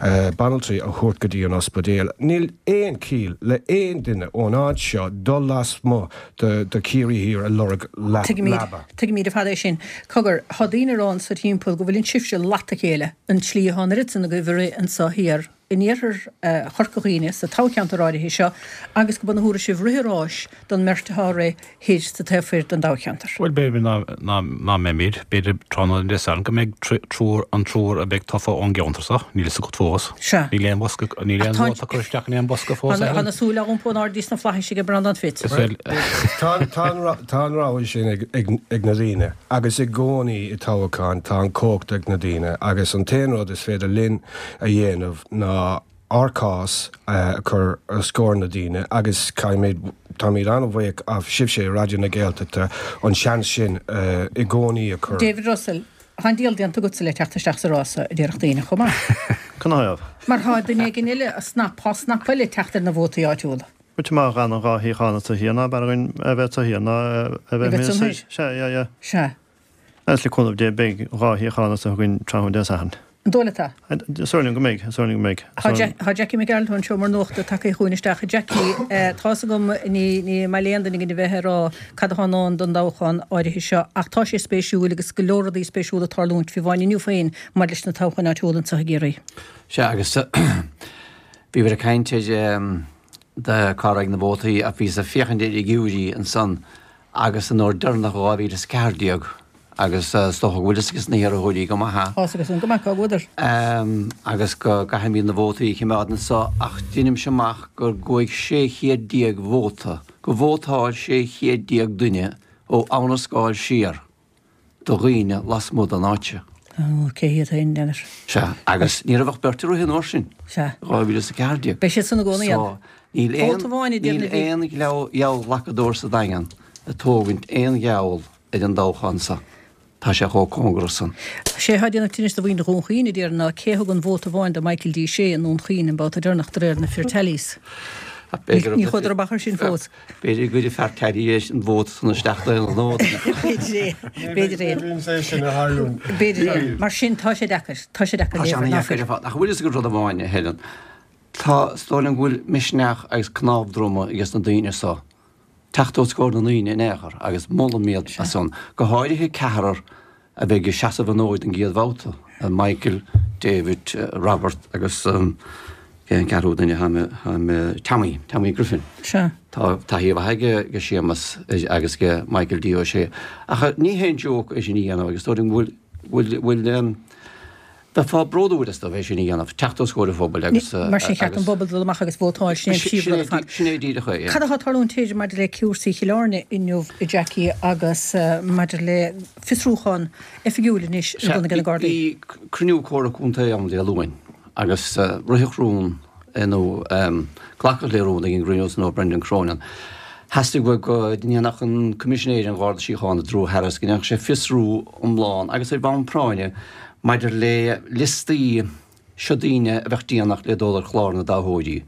eh, banaltraí a thabhairt go dtí an ospidéal. Níl aon chiall le aon duine ón áit seo dul lasmuigh de de Ciarraí Thiar a lorg le- Tuigimid leaba. tuigimid ar fad é sin. Cogar tá daoine ann sa timpeall go bhfuil an sibhse leat a chéile an tslí atá an oiread san agaibh ag rith anseo thiar in iarthar eh, Chorca Dhuibhne sa toghcheantar áirithe seo agus go bhfuil sibh ag rith ráis don mbeirt atá ag rith thoir sa taobh thoir den toghcheantar. Bhuel b'fhéidir ná ná ná mbeimid, b'fhéidir tráthnóna Dé Sathairn go mbeidh trí- triúr an triúr a bheidh tofa ón gceantar seo, níl fhios agat fós. Sea. Níl aon bosca níl aon Ach tá- vóta curtha isteach in aon bosca fós. Tá na súile á iompú in airde sna flaithis ag Breandán Fitz. Is bhfuil Tá tá an ra- tá an rogha sin ag, ag, ag na daoine agus i gcónaí i toghchán tá an chumhacht ag na daoine agus an t-aon rud is féidir linn a dhéanamh ná ár gcás eh, a chur os comhair na daoine agus caithfimid táimid an-bhuíoch as sibhse Raidió na Gaeltachta an seans sin eh, i gcónaí a chur. David Russell, Tá an díol déanta agatsa le teacht isteach sa rása a déarfadh daoine chomh maith. Canathaobh. Mar tá duine éigin eile a snap tá snap eile teacht ar na vótaí áitiúla. Bhuel má ghan an dhá shuíochán sa thiar ná b'fhearr dhúinn a bheith sa thiar ná a bheith A bheith san mé thoir. Sea, yeah, yeah. Sea. Agus le cúnamh Dé beidh dhá shuíochán sa againn tráthnóna Dé Sathairn. An dóigh leat? Is dóigh liom go mbeidh, is dóigh liom go mbeidh. Tá Jack- Tá Jackie McGarrett anseo mar nuachta tagtha chugainn isteach. Jackie, eh, tá's agam ní ní maith le aon duine againn a bheith ag rá cad atá i ndán don toghchán áirithe seo, ach tá sé spéisiúil agus go leor rudaí spéisiúla ag tarlúint fiú amháin inniu féin maidir leis na toghcháin áitiúla anseo i gCiarraí. Sea agus bhí bhí caint de cá raibh na vótaí a bhí sa féachaint ar fhigiúirí ansan agus an uair deireanach dhá mhíle is ceathair déag agus is dócha go bhfuil fhios ages na hiarrthóirí go maith. Tá agus an go maith cá bhfuadar. Um, agus go gcaithfimid na vótaí a choimeád anseo ach deinimse amach gur chuaigh sé chéad déag vóta, go vótáil sé chéad déag duine ó Abhainn an Scáil siar do dhaoine lasmuigh den áit. Ó, cé hiad féin, déanfar. Sea, agus ní raibh ach beirt ag rith an uair sin. Sea. dhá mhíle is a ceathair déag. Beidh siad san i gcónaí ann. So, níl aon, Vóta amháin a níl déanamh bhí. aon gheallghlacadóir sa Daingean ag tógaint aon gheall ar an dtoghchán seo. Tá sé chomh cóngarach san. Sé atá ag déanamh tinnis do mhuintir Dhún Chaoin, a déarfainn, ná cé thug an vóta amháin do Michael D. Shea i nDún Chaoin an babhta deireanach de réir na fir tallies. Ní chuadar amach ar sin fós. B'fhéidir go gcuirfidh fear tally an vóta san isteach d'aon ghnó. B'fhéidir é. B'fhéidir é. B'fhéidir é. Mar sin tá sé deacair. Tá sé deacair Tá sé léifear ná ana-dheacair fir. ar fad. Ach bhfuil fhios agat rud amháin, a Helen. Tá, is dóigh liom go bhfuil misneach agus cnámh droma ages na daoine so. Teacht os comhair na ndaoine in aon chor agus molaim iad as san. Go háirithe ceathrar a bheidh ag seasamh an fhóid an gcéad bhabhta, Michael, David, Robert agus cén ceathrú duine, Tommy, Tommy Griffin. Sea. Tá taithí mhaith aige ag Séamus agus ag Michael D. Ó Sé. Ach ní haon joke é sin a dhéanamh agus dóigh liom go bhfuil, bhfuil, Bheifeá bródúil astu é sin a dhéanamh, teacht os comhair an phobail agus. Mar sin cheart don bpobal dul amach agus vótáil, sin é an príomhrud ar fad. Sin é díreach é, yeah. Cad atá ag tarlúint b'fhéidir maidir le cúrsaí Chill Airne inniu, a Jackie, agus maidir le fiosrúchán oifigiúil anois ar bun ag na Gardaí? Bhí cruinniú Comhairle Contae ann Dé Luain agus ritheadh rún nó glacadh le rún ag an gcruinniú san ó Brendan Cronin. Theastaigh uaidh go ndéanfadh an Coimisinéir an Gharda Síochána, Drew Harris, go ndéanfadh sé fiosrú iomlán agus ar bhonn práinne maidir le liostaí seo daoine a bheadh déanach le dul ar chlár na dtoghthóirí.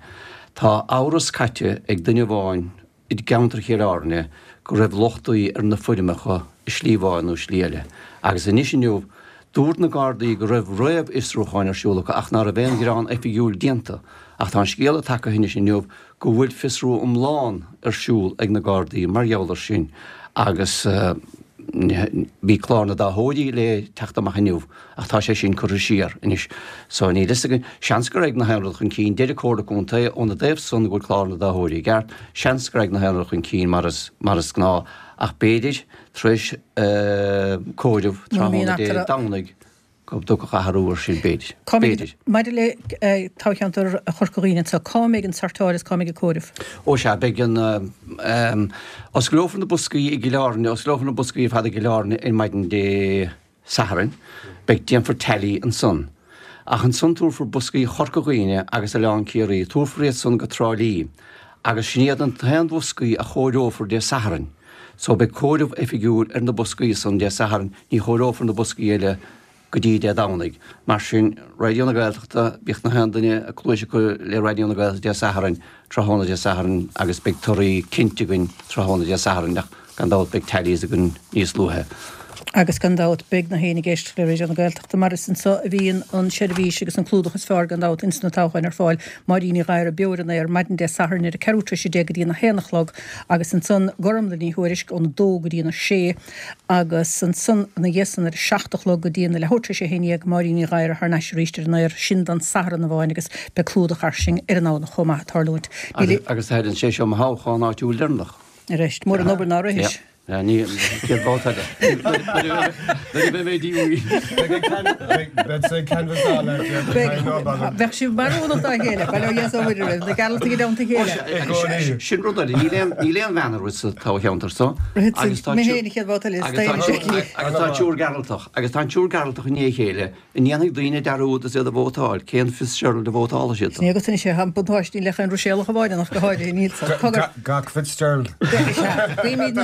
Tá amhras caite ag duine amháin i gceantar Chill Airne go raibh lochtaí ar na foirmeacha i slí amháin nó slí eile. Agus anois inniu, dúirt na Gardaí go raibh réamhfhiosrúcháin ar siúl acu ach ná raibh aon ghearán oifigiúil déanta. Ach tá an scéala tagtha anois inniu go bhfuil fiosrú iomlán ar siúl ag na Gardaí mar gheall ar sin agus bhí clár na dtoghthóirí le teacht amach inniu ach tá sé sin curtha siar anois so níl fhios againn. Seans gur ag na haon rud chun cinn, deir an Comhairle Contae óna dtaobh san go bhfuil clár na dtoghthóirí i gceart, seans gur ag na haon rud chun cinn mar is mar is gnáth ach b'fhéidir tar éis comhaireamh tráthnóna Dé Domhnaigh go dtiocfadh athrú ar sin, b'fhéidir. B'fhéidir. Maidir le toghcheantar Chorca Dhuibhne anseo, cá mbeidh an sortáil is cá mbeidh an comhaireamh? Ó sea, beidh an, osclófar na boscaí i gCill Airne, osclófar na boscaí ar fad i gCill Airne ar maidin Dé Sathairn, beidh, déanfar tally ansan. Ach ansan tabharfar boscaí Chorca Dhuibhne agus Oileán Ciarraí, tabharfar iad san go Trá Lí agus sin iad an t-aon bhoscaí a chomhaireofar Dé Sathairn. So beidh comhaireamh oifigiúil ar na boscaí san Dé Sathairn, ní chomhaireofar na boscaí eile go dtí Dé Domhnaigh. Mar sin, Raidió na Gaeltachta, bíodh na haon duine a cluais acu le Raidió na Gaeltachta Dé Sathairn, tráthnóna Dé Sathairn agus beidh torthaí cinnte againn tráthnóna Dé Sathairn ach gan dabht beidh tallies againn níos luaithe. Agus gan dabht beidh na héinne ag éisteacht le Raidió na Gaeltachta mar is anso a bhíonn an seirbhís agus an clúdach is fearr gan dabht ins na toghcháin ar fáil. Máirín Ní Ghadhra beo ar an aer maidin Dé Sathairn ar a ceathrú tar éis a deich go dtí an a haon a chlog agus ansan Gormlaith Ní Thuairisg ón a dó go dtí an a sé agus ansan ina dhiaidh san ar a seacht a chlog go dtí an a leathuair tar éis a haon dhéag Máirín Ní Ghadhra thar n-ais arís ar an aer, sin don Satharn amháin agus beidh clúdach fairsing ar an Domhnach chomh maith ag tarlúint. Níl Agus a Helen, sé seo mo thoghchán áitiúil deireanach. Arís, mór an obair ná rithis. Yeah. Ní, chéad bhabhta eile. Nuair a bheidh mé díomhaoin. Beidh sé canbhasáil Bheadh sibh mearúnach dá chéile, bail ó Dhia is ó Mhuire oraibh, na Gearaltaigh i dteannta a chéile. Sin rud eile, níl aon níl aon bhean ag rith sa toghcheantar so. Agus tá Mé féin an chéad bhabhta eile, agus tá agus tá triúr Gearaltach, agus tá an triúr Gearaltach i ndiaidh a chéile. An ndéanfaidh daoine dearúd is iad ag vótáil? Cén Fitzgerald a vótálfaidh siad dó? Ní agat anois é, tá an buntáiste ní le chaon Ruiséalach amháin ach go háirithe, níl san. Cogar. Gach Fitzgerald. Guímid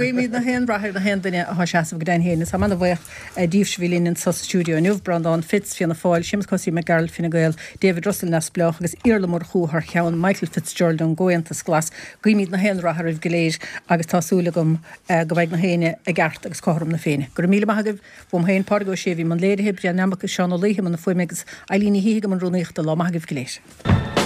guímid na haon rath ar na haon duine atá ag seasamh go deimhin féin. Is táim ana-bhuíoch díobhse a bhí linn anso sa stiúideo inniu, Breandán Fitz, Fianna Fáil, Séamus Cosaí Mac Gearailt, Fine Gael, David Russell, Neamhspleách, agus Iarla Murchú thar cheann Michael Fitzgerald ón gComhaontas Glas. Guímid na haon rath oraibh go léir agus tá súil agam go mbeidh na héinne i gceart agus cothrom na Féinne. Go raibh míle maith agaibh. Uaim féin, Pádraig Ó Sé a bhí i mbun léirithe, Brian Mac Seáin Ó Laoithe i mbun na fuaime agus Eileen Ní Shíthigh i mbun rúnaíochta. Lá maith agaibh go léir.